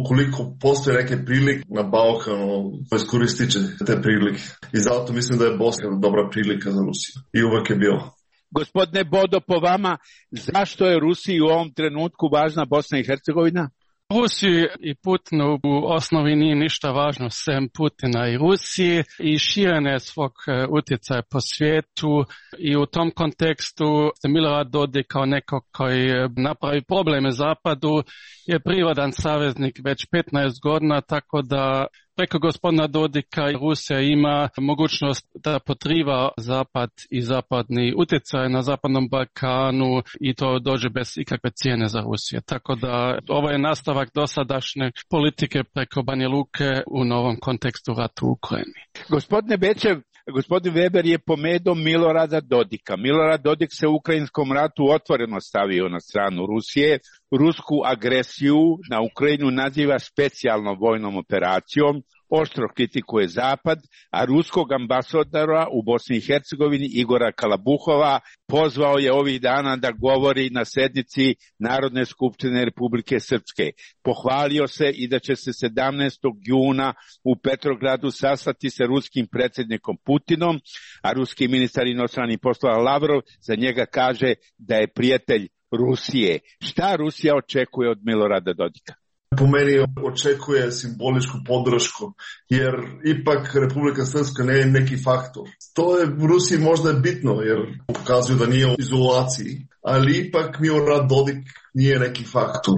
ukoliko postoje neke prilike na Balkanu, iskoristit će te prilike. I zato mislim da je Bosna dobra prilika za Rusiju. I uvek je bila. Gospodine Bodo, po vama, zašto je Rusiji u ovom trenutku važna Bosna i Hercegovina? Rusiji i Putinu u osnovi nije ništa važno sem Putina i Rusiji i širenje svog utjecaja po svijetu, i u tom kontekstu Milorad Dodik kao neko koji napravi probleme Zapadu je prirodan saveznik već petnaest godina, tako da preko gospodina Dodika Rusija ima mogućnost da potriva Zapad i zapadni utjecaj na Zapadnom Balkanu i to dođe bez ikakve cijene za Rusiju. Tako da ovo je nastavak dosadašnje politike preko Banja Luke u novom kontekstu ratu u Ukrajini. Gospodine Bečev, gospodin Weber je pomenuo Milorada Dodika. Milorad Dodik se u ukrajinskom ratu otvoreno stavio na stranu Rusije. Rusku agresiju na Ukrajinu naziva specijalnom vojnom operacijom, oštro kritikuje Zapad, a ruskog ambasadora u Bosni i Hercegovini Igora Kalabuhova pozvao je ovih dana da govori na sednici Narodne skupštine Republike Srpske. Pohvalio se i da će se sedamnaestog juna u Petrogradu sastati sa ruskim predsjednikom Putinom, a ruski ministar inostranih poslova Lavrov za njega kaže da je prijatelj Rusije. Šta Rusija očekuje od Milorada Dodika? Po meni očekuje simboličku podršku, jer ipak Republika Srpska ne je neki faktor. To je u Rusiji možda je bitno, jer pokazuju da nije u izolaciji, ali ipak Milorad Dodik nije neki faktor.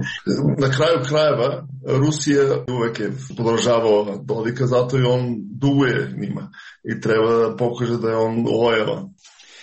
Na kraju krajeva Rusija uvek je podržavao Dodika, zato i on duguje njima i treba da pokaže da je on lojalan.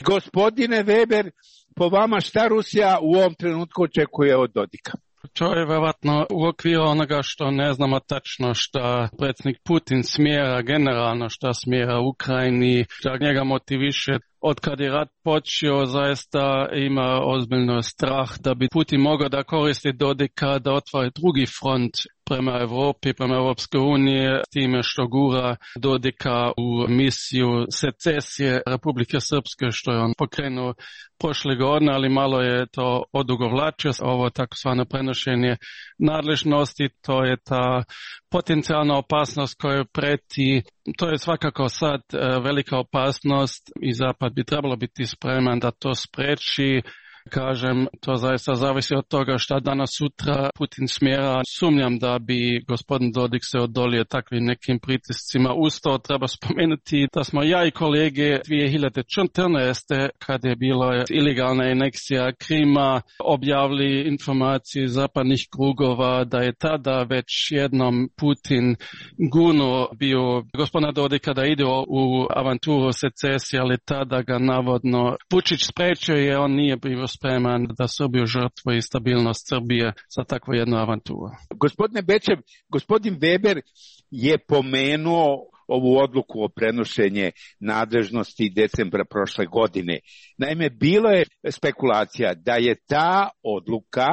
Gospodine Weber, po vama šta Rusija u ovom trenutku očekuje od Dodika? to je vjerovatno u okviru onoga što ne znamo tačno što predsjednik Putin smjera generalno, što smjera Ukrajini, što njega motiviše. Od kad je rat počeo, zaista ima ozbiljno strah da bi Putin mogao da koristi Dodika da otvori drugi front prema Evropi, prema Evropske unije, s time što gura Dodika u misiju secesije Republike Srpske, što je on pokrenuo prošle godine, ali malo je to odugovlačio. Ovo takozvano prenošenje nadležnosti, to je ta potencijalna opasnost koja preti. To je svakako sad velika opasnost i Zapad bi trebalo biti spreman da to spreči. Kažem, to zaista zavisi od toga šta danas sutra Putin smjera. Sumnjam da bi gospodin Dodik se odolio takvim nekim pritiscima. Uz to treba spomenuti da smo ja i kolege dvije hiljade četrnaeste. kad je bilo ilegalna aneksija Krima, objavili informacije zapadnih krugova da je tada već jednom Putin gurnuo bio gospodina Dodika da ide u avanturu secesije, ali tada ga navodno Vučić sprečio je, on nije bio spreman da Srbiju žrtvuje i stabilnost Srbije za takvu jednu avanturu. Gospodine Bečev, gospodin Weber je pomenuo ovu odluku o prenošenje nadležnosti decembra prošle godine. Naime, bilo je spekulacija da je ta odluka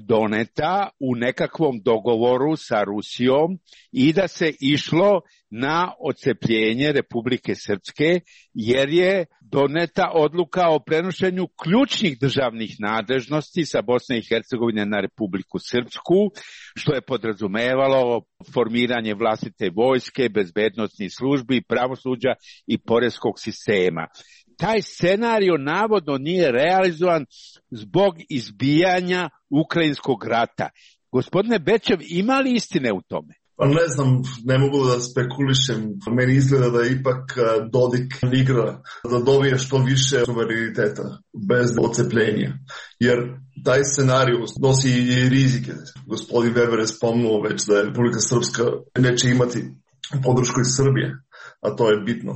doneta u nekakvom dogovoru sa Rusijom i da se išlo na odcepljenje Republike Srpske, jer je doneta odluka o prenošenju ključnih državnih nadležnosti sa Bosne i Hercegovine na Republiku Srpsku, što je podrazumevalo formiranje vlastite vojske, bezbednosnih službi, pravosuđa i poreskog sistema. Taj scenario navodno nije realizovan zbog izbijanja ukrajinskog rata. Gospodine Bečev, ima li istine u tome? Pa ne znam, ne mogu da spekulišem. Meni izgleda da ipak Dodik igra da dobije što više suvereniteta bez odcepljenja. Jer taj scenarij nosi i rizike. Gospodin Weber je spomnuo već da je Republika Srpska neće imati podršku iz Srbije, a to je bitno.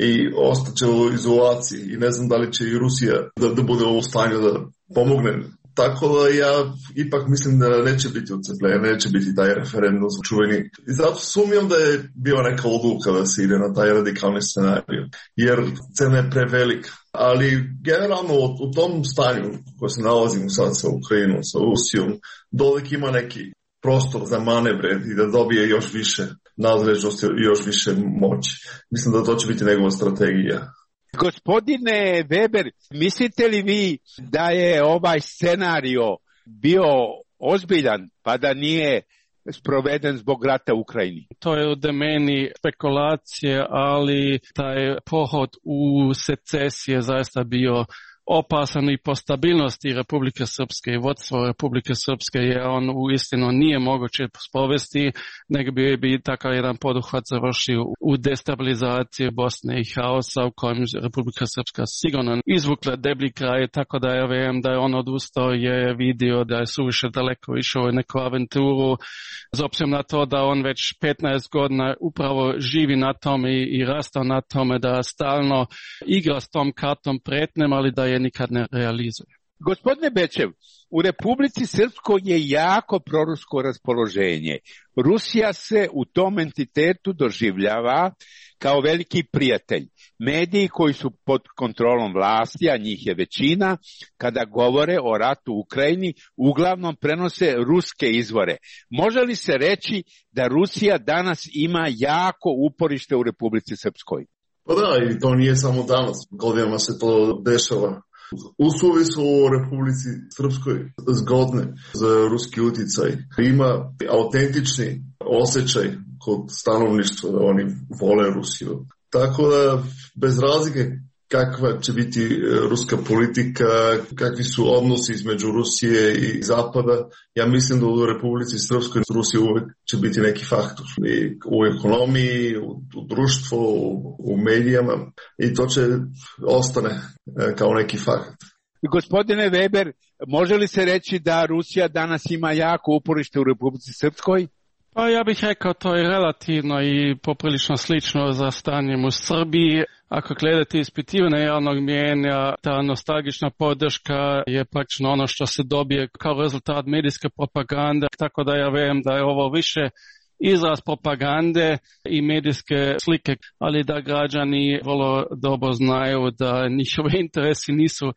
I ostaće u izolaciji i ne znam da li će i Rusija da, da bude u stanju da pomogne. Tako da ja ipak mislim da neće biti odcepljenja, neće biti taj referendum čuveni. I zato sumnjam da je bio neka odluka da se ide na taj radikalni scenarij, jer cena je prevelika. Ali generalno u tom stanju koje se nalazimo sad sa Ukrajinom, sa Rusijom, Dodik ima neki prostor za manevre i da dobije još više nadležnosti i još više moći. Mislim da to će biti njegova strategija. Gospodine Weber, mislite li vi da je ovaj scenario bio ozbiljan pa da nije sproveden zbog rata u Ukrajini? To je u domeni spekulacije, ali taj pohod u secesije zaista bio opasan i po stabilnosti Republike Srpske i vodstvo Republike Srpske, jer on u istinu nije moguće sprovesti, nego bi, bi takav jedan poduhvat završio u destabilizaciji Bosne i haosa u kojem Republika Srpska sigurno izvukla deblji kraj, tako da ja vjerujem da je on odustao, je vidio da je suviše daleko išao u neku avanturu, s obzirom na to da on već petnaest godina upravo živi na tome i, i rastao na tome da stalno igra s tom kartom pretnjem, ali da je nikad ne realizuje. Gospodine Bečev, u Republici Srpskoj je jako prorusko raspoloženje. Rusija se u tom entitetu doživljava kao veliki prijatelj. Mediji koji su pod kontrolom vlasti, a njih je većina, kada govore o ratu u Ukrajini, uglavnom prenose ruske izvore. Može li se reći da Rusija danas ima jako uporište u Republici Srpskoj? Pa da, i to nije samo danas. Godinama se to dešava. Uslovi su u Republici Srpskoj zgodne za ruski uticaj. Ima autentični osjećaj kod stanovništva da oni vole Rusiju. Tako da, bez razlike kakva će biti ruska politika, kakvi su odnosi između Rusije i Zapada, ja mislim da u Republici Srpskoj Rusija uvek će biti neki faktor. I u ekonomiji, u, u društvu, u, u medijama, i to će ostane kao neki faktor. Gospodine Weber, može li se reći da Rusija danas ima jako uporište u Republici Srpskoj? Pa ja bih rekao to je relativno i poprilično slično za stanjem u Srbiji. Ako gledate ispitivanje javnog mijenja, ta nostalgična podrška je praktično ono što se dobije kao rezultat medijske propagande, tako da ja vjerujem da je ovo više izraz propagande i medijske slike, ali da građani vrlo dobro znaju da njihove interesi nisu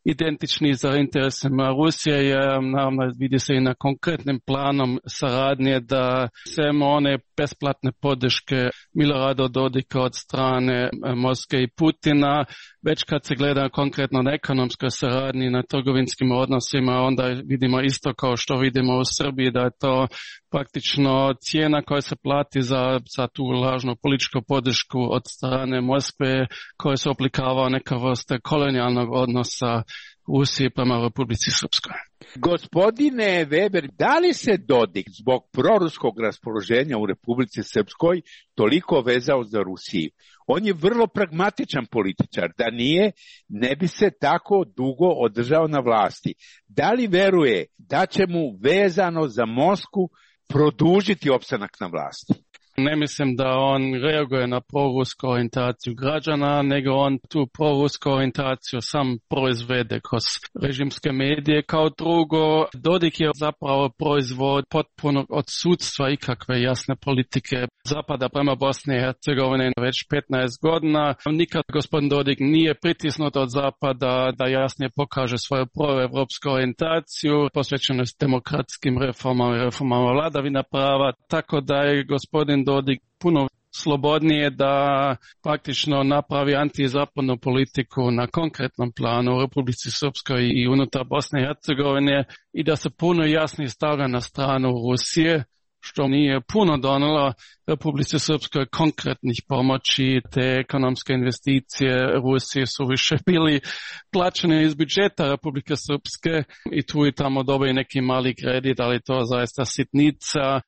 identični za interesima Rusije, jer naravno vidi se i na konkretnim planom saradnje da samo one besplatne podrške Milorada Dodika od strane Moskve i Putina, već kad se gleda konkretno na ekonomskoj saradnji, na trgovinskim odnosima, onda vidimo isto kao što vidimo u Srbiji, da je to praktično cijena koja se plati za, za tu lažnu političku podršku od strane Moskve, koja se oblikava neka vrsta kolonijalnog odnosa Rusije prema Republici Srpskoj. Gospodine Weber, da li se Dodik zbog proruskog raspoloženja u Republici Srpskoj toliko vezao za Rusiju? On je vrlo pragmatičan političar, da nije, ne bi se tako dugo održao na vlasti. Da li veruje da će mu vezano za Moskvu produžiti opstanak na vlasti? Ne mislim da on reaguje na prorusku orijentaciju građana, nego on tu prorusku orijentaciju sam proizvede kroz režimske medije. Kao drugo, Dodik je zapravo proizvod potpunog odsudstva ikakve jasne politike Zapada prema Bosni i Hercegovini već petnaest godina. Nikad gospodin Dodik nije pritisnut od Zapada da jasnije pokaže svoju proevropsku orijentaciju, posvećenost demokratskim reformama i reformama vladavina prava, tako da je gospodin Dodik puno slobodnije da praktično napravi antizapadnu politiku na konkretnom planu u Republici Srpskoj i unutar Bosne i Hercegovine i da se puno jasnije stavlja na stranu Rusije, što nije puno donelo Republici Srpskoj konkretnih pomoći. Te ekonomske investicije Rusije su više bili plaćene iz budžeta Republike Srpske i tu i tamo dobije neki mali kredit, ali to zaista sitnica.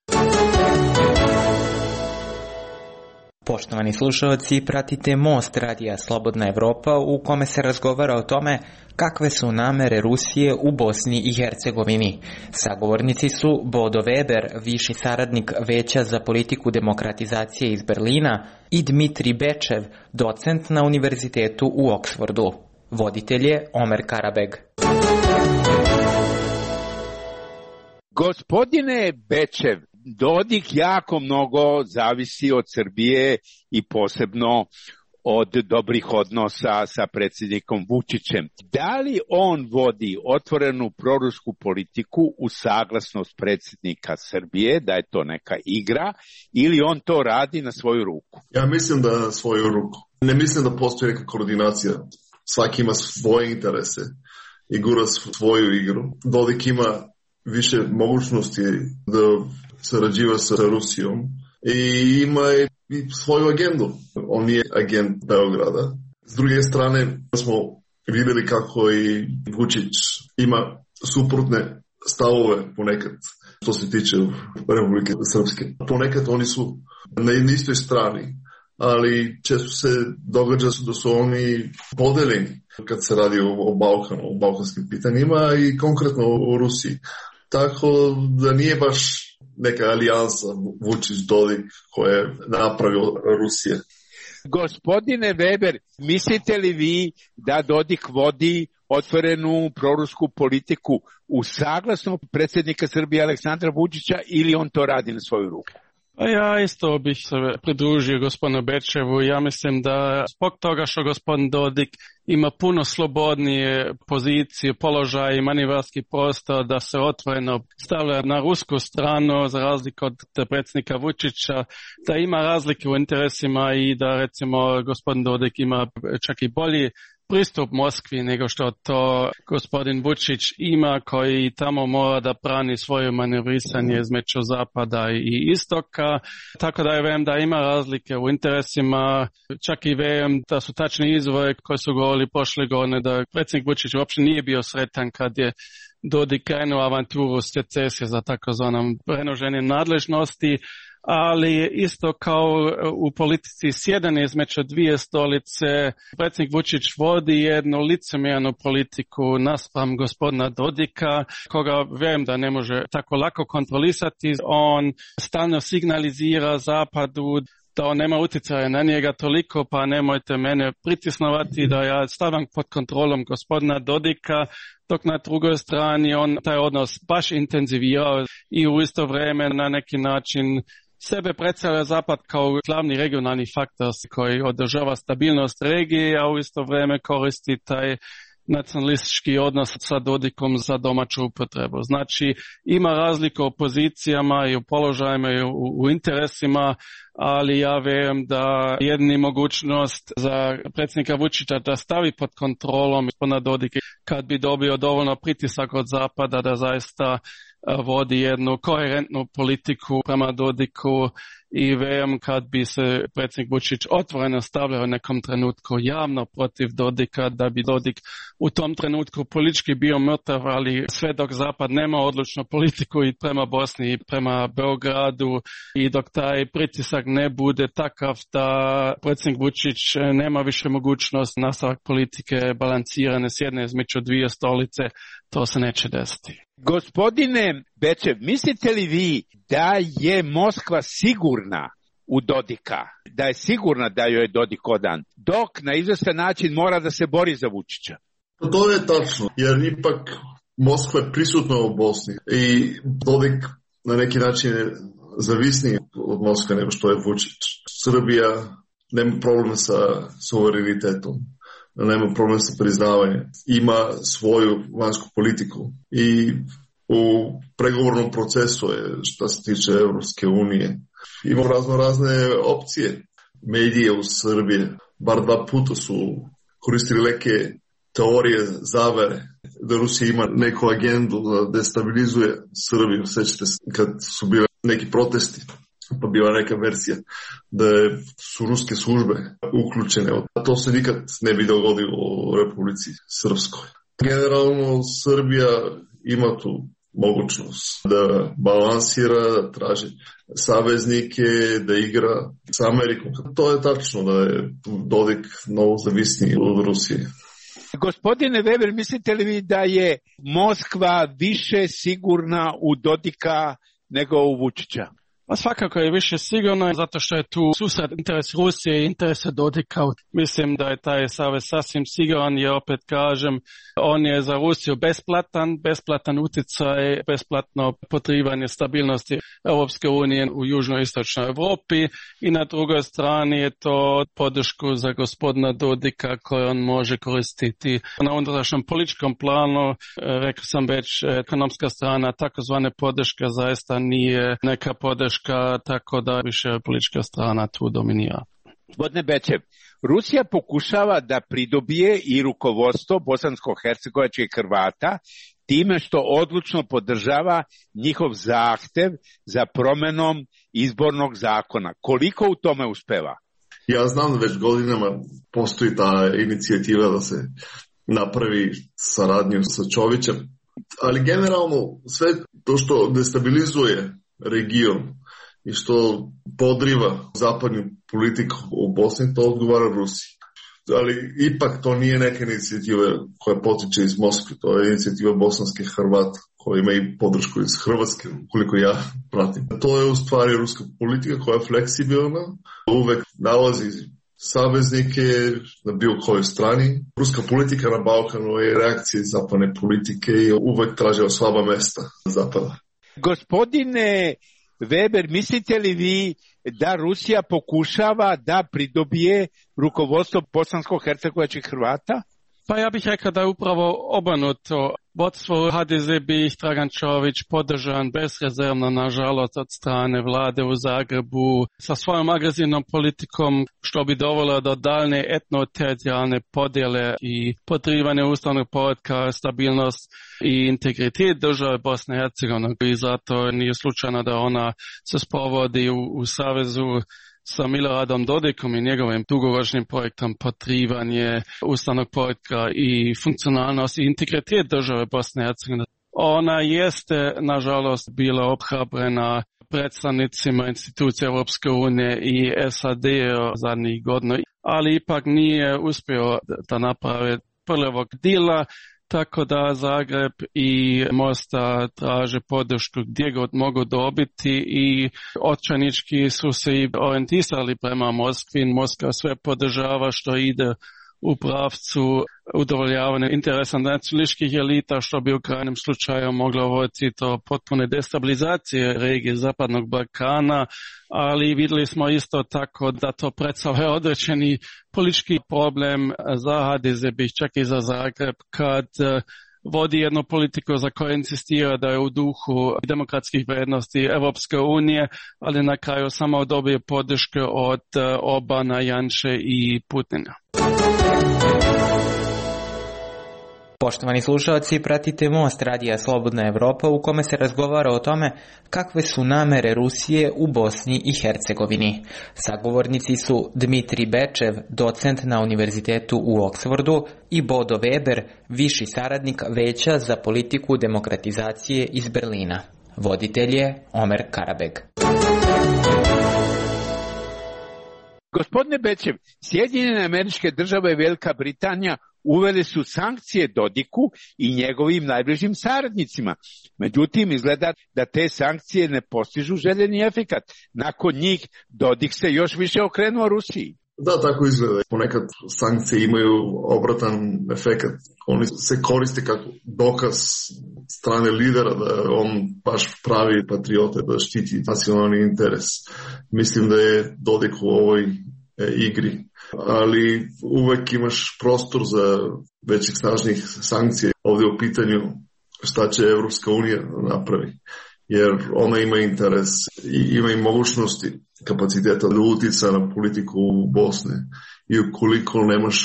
Poštovani slušalci, pratite Most radija Slobodna Evropa u kome se razgovara o tome kakve su namere Rusije u Bosni i Hercegovini. Sagovornici su Bodo Weber, viši saradnik Veća za politiku demokratizacije iz Berlina, i Dmitri Bečev, docent na univerzitetu u Oksfordu. Voditelj je Omer Karabeg. Gospodine Bečev, Dodik jako mnogo zavisi od Srbije i posebno od dobrih odnosa sa predsjednikom Vučićem. Da li on vodi otvorenu prorusku politiku u saglasnost predsjednika Srbije, da je to neka igra, ili on to radi na svoju ruku? Ja mislim da na svoju ruku. Ne mislim da postoji neka koordinacija. Svaki ima svoje interese i gura svoju igru. Dodik ima više mogućnosti da sarađiva sa Rusijom i ima i svoju agendu. On nije agent Beograda. S druge strane smo vidjeli kako i Vučić ima suprotne stavove ponekad što se tiče Republike Srpske. Ponekad oni su na istoj strani, ali često se događa da su oni podeljeni kad se radi o, o Balkanu, o balkanskim pitanjima i konkretno o Rusiji. Tako da nije baš neka alijansa Vučić-Dodik koja je napravio Rusije. Gospodine Weber, mislite li vi da Dodik vodi otvorenu prorusku politiku u saglasnost predsjednika Srbije Aleksandra Vučića ili on to radi na svoju ruku? Ja isto bih se pridružio gospodinu Bečevu. Ja mislim da zbog toga što gospodin Dodik ima puno slobodnije pozicije, položaj i manevarski prostor da se otvoreno stavlja na rusku stranu za razliku od predsjednika Vučića, da ima razlike u interesima i da recimo gospodin Dodik ima čak i bolji pristup Moskvi nego što to gospodin Vučić ima, koji tamo mora da brani svoje manevrisanje između zapada i istoka. Tako da ja vem da ima razlike u interesima, čak i vem da su tačni izvori koji su govorili prošle godine da predsjednik Vučić uopće nije bio sretan kad je Dodik krenuo avanturu secesije za takozvanom prenoženjem nadležnosti, ali isto kao u politici sjedanje između dvije stolice, predsjednik Vučić vodi jednu licemjernu politiku naspram gospodina Dodika, koga vjerujem da ne može tako lako kontrolisati. On stalno signalizira Zapadu da on nema utjecaja na njega toliko, pa nemojte mene pritisnovati da ja stavim pod kontrolom gospodina Dodika, dok na drugoj strani on taj odnos baš intenzivirao i u isto vrijeme na neki način sebe predstavlja Zapad kao glavni regionalni faktor koji održava stabilnost regije, a u isto vrijeme koristi taj nacionalistički odnos sa Dodikom za domaću upotrebu. Znači, ima razlika u pozicijama i u položajima i u, u interesima, ali ja vjerujem da jedini mogućnost za predsjednika Vučića da stavi pod kontrolom gospodina Dodika kad bi dobio dovoljno pritisak od Zapada da zaista vodi jednu koherentnu politiku prema Dodiku i vjerujem kad bi se predsjednik Vučić otvoreno stavljao u nekom trenutku javno protiv Dodika, da bi Dodik u tom trenutku politički bio mrtav, ali sve dok Zapad nema odlučnu politiku i prema Bosni i prema Beogradu i dok taj pritisak ne bude takav da predsjednik Vučić nema više mogućnost nastavak politike balansirane s jedne između dvije stolice, to se neće desiti. Gospodine Bečev, mislite li vi da je Moskva sigurna u Dodika, da je sigurna da joj je Dodik odan, dok na izvestan način mora da se bori za Vučića? To je tačno, jer ipak Moskva je prisutna u Bosni i Dodik na neki način je zavisniji od Moskve nego što je Vučić. Srbija nema problema sa suverenitetom, nema problem sa priznavanjem, ima svoju vanjsku politiku i u pregovornom procesu je što se tiče Evropske unije. Ima razno razne opcije. Medije u Srbiji bar dva puta su koristili neke teorije zavere da Rusija ima neku agendu da destabilizuje Srbiju. Sećate se kad su bile neki protesti, pa bila neka verzija da su ruske službe uključene. A to se nikad ne bi dogodilo u Republici Srpskoj. Generalno Srbija ima tu mogućnost da balansira, da traži saveznike, da igra s Amerikom. To je tačno da je Dodik mnogo zavisniji od Rusije. Gospodine Weber, mislite li vi da je Moskva više sigurna u Dodika nego u Vučića? Pa svakako je više sigurno, zato što je tu susret interes Rusije i interese Dodika. Mislim da je taj savez sasvim siguran, jer opet kažem, on je za Rusiju besplatan, besplatan utjecaj, besplatno potrivanje stabilnosti Europske unije u južnoistočnoj Europi i na drugoj strani je to podršku za gospodina Dodika koju on može koristiti na unutrašnjem političkom planu. Rekao sam već, ekonomska strana takozvane podrške zaista nije neka podrška, tako da više politička strana tu dominira. Gospodine Bečev, Rusija pokušava da pridobije i rukovodstvo bosansko-hercegovačkih Hrvata time što odlučno podržava njihov zahtev za promenom izbornog zakona. Koliko u tome uspeva? Ja znam da već godinama postoji ta inicijativa da se napravi saradnju sa Čovićem, ali generalno sve to što destabilizuje region i što podriva zapadnu politiku u Bosni, to odgovara Rusiji. Ali ipak to nije neka inicijativa koja potiče iz Moskve, to je inicijativa bosanskih Hrvata koja ima i podršku iz Hrvatske, koliko ja pratim. To je u stvari ruska politika koja je fleksibilna, uvek nalazi saveznike na bilo kojoj strani. Ruska politika na Balkanu je reakcija zapadne politike i uvek traže slaba mesta zapada. Gospodine Weber, mislite li vi da Rusija pokušava da pridobije rukovodstvo bosansko-hercegovačkih Hrvata? Pa ja bih rekao da je upravo obrnuto. Vodstvo H D Z bi ih Dragan Čović podržan bezrezervno, nažalost, od strane vlade u Zagrebu sa svojom agresivnom politikom, što bi dovelo do daljne etno-teritorijalne podjele i podrivanje ustavnog poretka, stabilnost i integritet države Bosne i Hercegovine. I zato nije slučajno da ona se sprovodi u, u savezu sa Miloradom Dodikom i njegovim dugoročnim projektom potrivanje ustavnog poretka i funkcionalnost i integritet države Bosne i Hercegovine. Ona jeste, nažalost, bila obhrabrena predstavnicima institucija Europske unije i S A D zadnjih godina, ali ipak nije uspio da napravi prvog dila tako da Zagreb i Mostar traže podršku gdje god mogu dobiti i očajnički su se i orijentisali prema Moskvi. Moskva sve podržava što ide u pravcu udovoljavanja interesa nacionalističkih elita, što bi u krajnjem slučaju moglo voditi do potpune destabilizacije regije Zapadnog Balkana, ali vidjeli smo isto tako da to predstavlja određeni politički problem za ha de ze, čak i za Zagreb, kad vodi jednu politiku za koju insistira da je u duhu demokratskih vrijednosti Evropske unije, ali na kraju samo dobije podrške od Obana, Janše i Putina. Poštovani slušalci, pratite Most radija Slobodna Evropa u kome se razgovara o tome kakve su namere Rusije u Bosni i Hercegovini. Sagovornici su Dmitri Bečev, docent na Univerzitetu u Oksfordu, i Bodo Weber, viši saradnik Veća za politiku demokratizacije iz Berlina. Voditelj je Omer Karabeg. Gospodine Bečev, Sjedinjene Američke Države i Velika Britanija uveli su sankcije Dodiku i njegovim najbližim saradnicima. Međutim, izgleda da te sankcije ne postižu željeni efekat. Nakon njih Dodik se još više okrenuo Rusiji. Da, tako izgleda. Ponekad sankcije imaju obratan efekat. Oni se koriste kako dokaz strane lidera da on baš pravi patriote, da štiti nacionalni interes. Mislim da je Dodik u ovoj e, igri. Ali uvek imaš prostor za većih snažnih sankcija. Ovdje u pitanju šta će Evropska unija napravi. Jer ona ima interes i ima i mogućnosti, kapaciteta da utica na politiku u Bosne. I ukoliko nemaš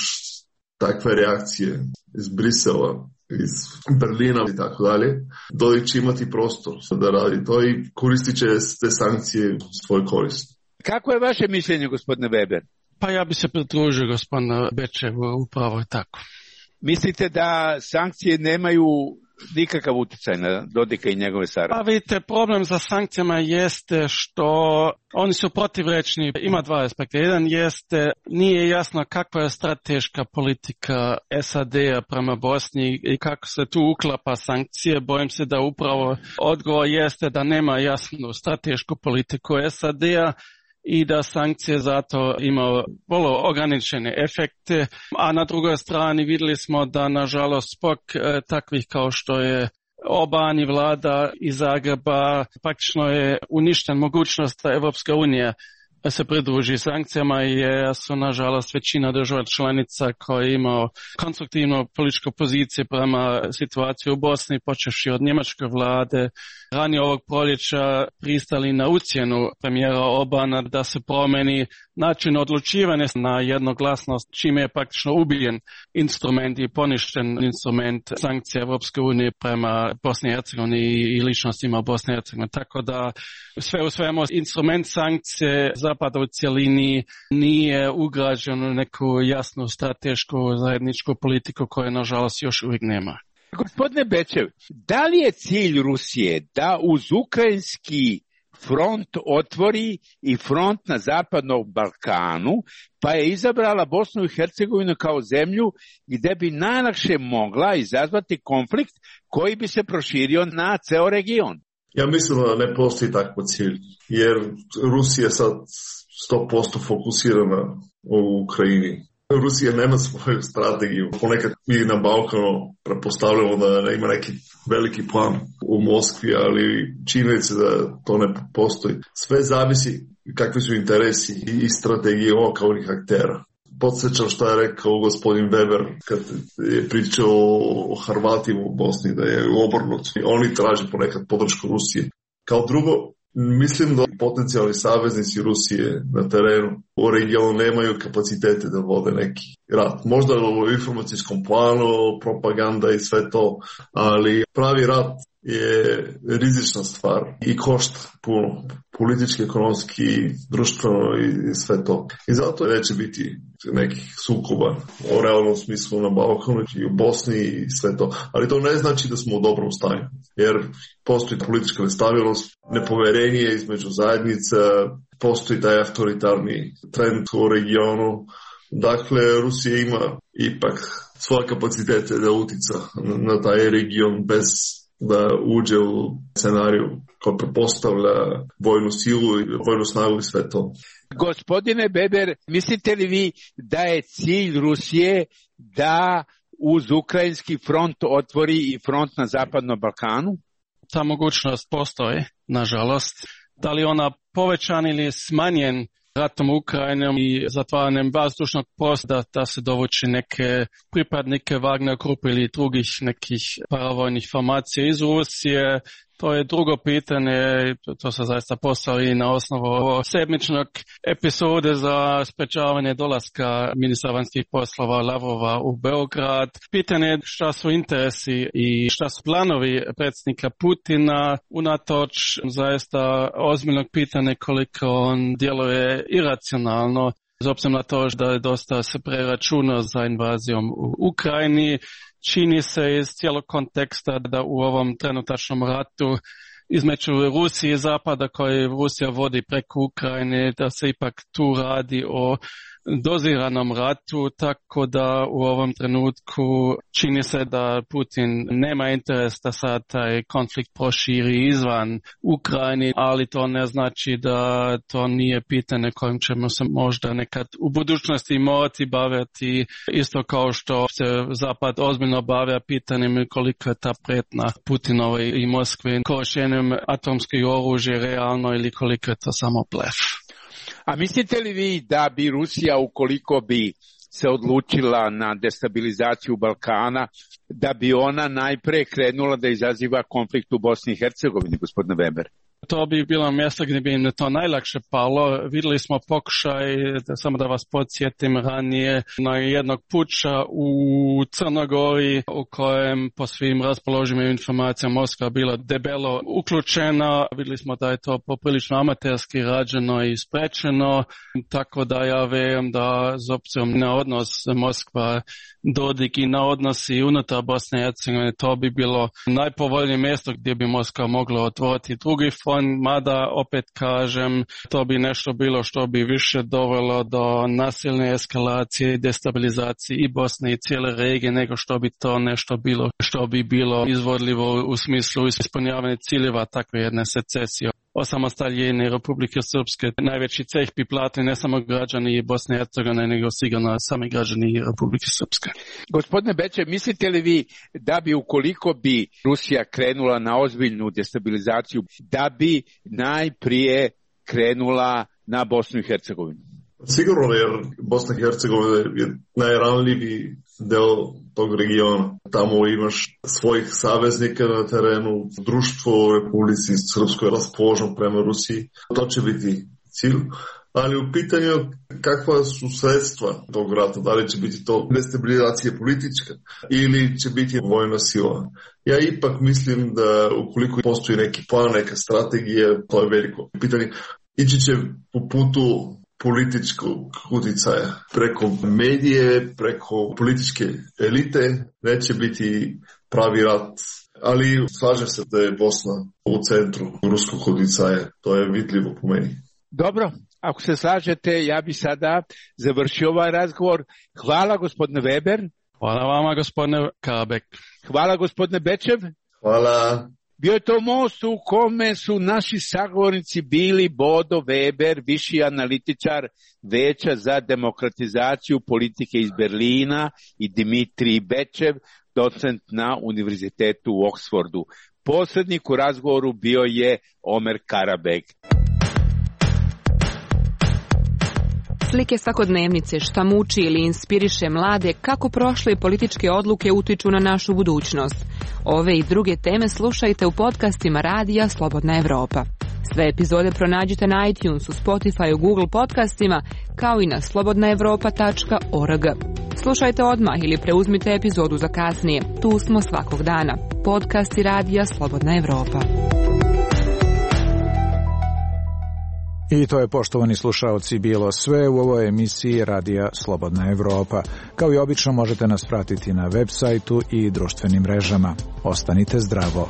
takve reakcije iz Brisela, iz Berlina i tako dalje, Dodik će imati prostor da radi to i koristit će te sankcije u svoj korist. Kako je vaše mišljenje, gospodine Weber? Pa ja bi se pridružio gospodinu Bečevu, upravo je tako. Mislite da sankcije nemaju nikakav utjecaj na Dodika i njegove saradnike? Pa vidite, problem za sankcijama jeste što oni su protivrečni. Ima dva aspekta. Jedan jeste, nije jasno kakva je strateška politika es a de-a prema Bosni i kako se tu uklapa sankcije. Bojim se da upravo odgovor jeste da nema jasnu stratešku politiku es a de-a i da sankcije zato imaju vrlo ograničene efekte, a na drugoj strani vidjeli smo da nažalost zbog e, takvih kao što je Oban i vlada iz Zagreba praktično je uništen mogućnost da Evropska unija se pridruži sankcijama jer su nažalost većina država članica koji imaju konstruktivnu političku poziciju prema situaciji u Bosni, počevši od njemačke vlade, ranije ovog proljeća pristali na ucjenu premijera Obana da se promeni način odlučivanja na jednoglasnost, čime je praktično ubijen instrument i poništen instrument sankcija Evropske unije prema Bosni i Hercegovini i ličnostima Bosne i Hercegovine. Tako da sve u svemu instrument sankcije Zapada u cjelini nije ugrađen u neku jasnu stratešku zajedničku politiku koju nažalost još uvijek nema. Gospodine Bečev, da li je cilj Rusije da uz ukrajinski front otvori i front na Zapadnom Balkanu, pa je izabrala Bosnu i Hercegovinu kao zemlju gdje bi najlakše mogla izazvati konflikt koji bi se proširio na ceo region? Ja mislim da ne postoji takav cilj, jer Rusija je sad sto posto fokusirana u Ukrajini. Rusija nema svoju strategiju. Ponekad mi na Balkanu prepostavljamo da ima neki veliki plan u Moskvi, ali činjenica da to ne postoji. Sve zavisi kakvi su interesi i strategije lokalnih aktera. Podsjećam što je rekao gospodin Weber kad je pričao o Hrvatima u Bosni, da je obrnut. Oni traže ponekad podršku Rusije. Kao drugo, mislim da potencijalni saveznici Rusije na terenu u regionu nemaju kapacitete da vode neki rat. Možda u informacijskom planu, propaganda i sve to, ali pravi rat je rizična stvar i košta puno, politički, ekonomski, društveno i sve to. I zato neće biti nekih sukoba o realnom smislu na Balkanu i u Bosni i sve to. Ali to ne znači da smo u dobrom stanju, jer postoji politička nestabilnost, nepoverenje između zajednica, postoji taj autoritarni trend u regionu. Dakle, Rusija ima ipak svoje kapacitete da utica na taj region bez da uđe u scenariju koji prepostavlja vojnu silu i vojnu snagu i sve to. Gospodine Weber, mislite li vi da je cilj Rusije da uz ukrajinski front otvori i front na Zapadnom Balkanu? Ta mogućnost postoji, nažalost. Da li ona povećan ili smanjen ratom Ukrajinom i zatvaranjem vazdušnog prostora da se dovuči neke pripadnike Wagner grupe ili drugih nekih paravojnih formacija iz Rusije, to je drugo pitanje, to se zaista postavi na osnovu sedmičnog epizode za sprečavanje dolaska ministra vanjskih poslova Lavrova u Beograd. Pitanje je šta su interesi i šta su planovi predsjednika Putina, unatoč zaista ozbiljnog pitanja koliko on djeluje iracionalno, s obzirom na to da je dosta se preračunao za invazijom u Ukrajini. Čini se iz cijelog konteksta da u ovom trenutačnom ratu između Rusije i Zapada koji Rusija vodi preko Ukrajine, da se ipak tu radi o doziranom ratu, tako da u ovom trenutku čini se da Putin nema interes da sad taj konflikt proširi izvan Ukrajine, ali to ne znači da to nije pitanje kojim ćemo se možda nekad u budućnosti morati baviti, isto kao što se Zapad ozbiljno bavlja pitanjem koliko je ta prijetnja Putinove i Moskve korištenjem atomskih oružja realno ili koliko je to samo blef. A mislite li vi da bi Rusija, ukoliko bi se odlučila na destabilizaciju Balkana, da bi ona najpre krenula da izaziva konflikt u Bosni i Hercegovini, gospodine Weber? To bi bilo mjesto gdje bi im to najlakše palo. Vidjeli smo pokušaj, da, samo da vas podsjetim, ranije na jednog puča u Crnogori u kojem po svim raspoloživim informacijama Moskva bila debelo uključena. Vidjeli smo da je to poprilično amaterski rađeno i sprečeno, tako da ja vjerujem da s obzirom na odnos Moskva Dodik i na odnosi unutar Bosne i Hercegovine, to bi bilo najpovoljnije mjesto gdje bi Moskva mogla otvoriti drugi fond, mada opet kažem, to bi nešto bilo što bi više dovelo do nasilne eskalacije i destabilizacije i Bosne i cijele regije nego što bi to nešto bilo što bi bilo izvodljivo u smislu ispunjavanja ciljeva takve jedne secesije. Osamostaljenje Republike Srpske najveći ceh bi platili ne samo građani Bosne i Hercegovine, nego sigurno sami građani Republike Srpske. Gospodine Beče, mislite li vi da bi ukoliko bi Rusija krenula na ozbiljnu destabilizaciju, da bi najprije krenula na Bosnu i Hercegovinu? Sigurno, jer Bosna i Hercegovina je najranljiviji deo tog regiona. Tamo imaš svojih saveznika na terenu, društvo u Republici Srpskoj je raspoloženo prema Rusiji. To će biti cilj. Ali u pitanju kakva su sredstva tog rata, da li će biti to destabilizacija politička ili će biti vojna sila. Ja ipak mislim da ukoliko postoji neki plan, neka strategija, to je veliko pitanje. Ići će po putu političkog uticaja. Preko medije, preko političke elite neće biti pravi rat. Ali slažem se da je Bosna u centru ruskog uticaja. To je vidljivo po meni. Dobro, ako se slažete, ja bi sada završio ovaj razgovor. Hvala gospodine Weber. Hvala vama gospodine Kabek. Hvala gospodine Bečev. Hvala. Bio je to most u kome su naši sagovornici bili Bodo Weber, viši analitičar Veća za demokratizaciju politike iz Berlina, i Dimitrij Bečev, docent na Univerzitetu u Oksfordu. Posrednik u razgovoru bio je Omer Karabeg. Slike svakodnevnice, šta muči ili inspiriše mlade, kako prošle političke odluke utiču na našu budućnost. Ove i druge teme slušajte u podcastima Radija Slobodna Evropa. Sve epizode pronađite na iTunesu, Spotify, Google podcastima, kao i na slobodna evropa tačka org. Slušajte odmah ili preuzmite epizodu za kasnije. Tu smo svakog dana. Podcasti Radija Slobodna Evropa. I to je, poštovani slušaoci, bilo sve u ovoj emisiji Radija Slobodna Evropa. Kao i obično možete nas pratiti na web sajtu i društvenim mrežama. Ostanite zdravo.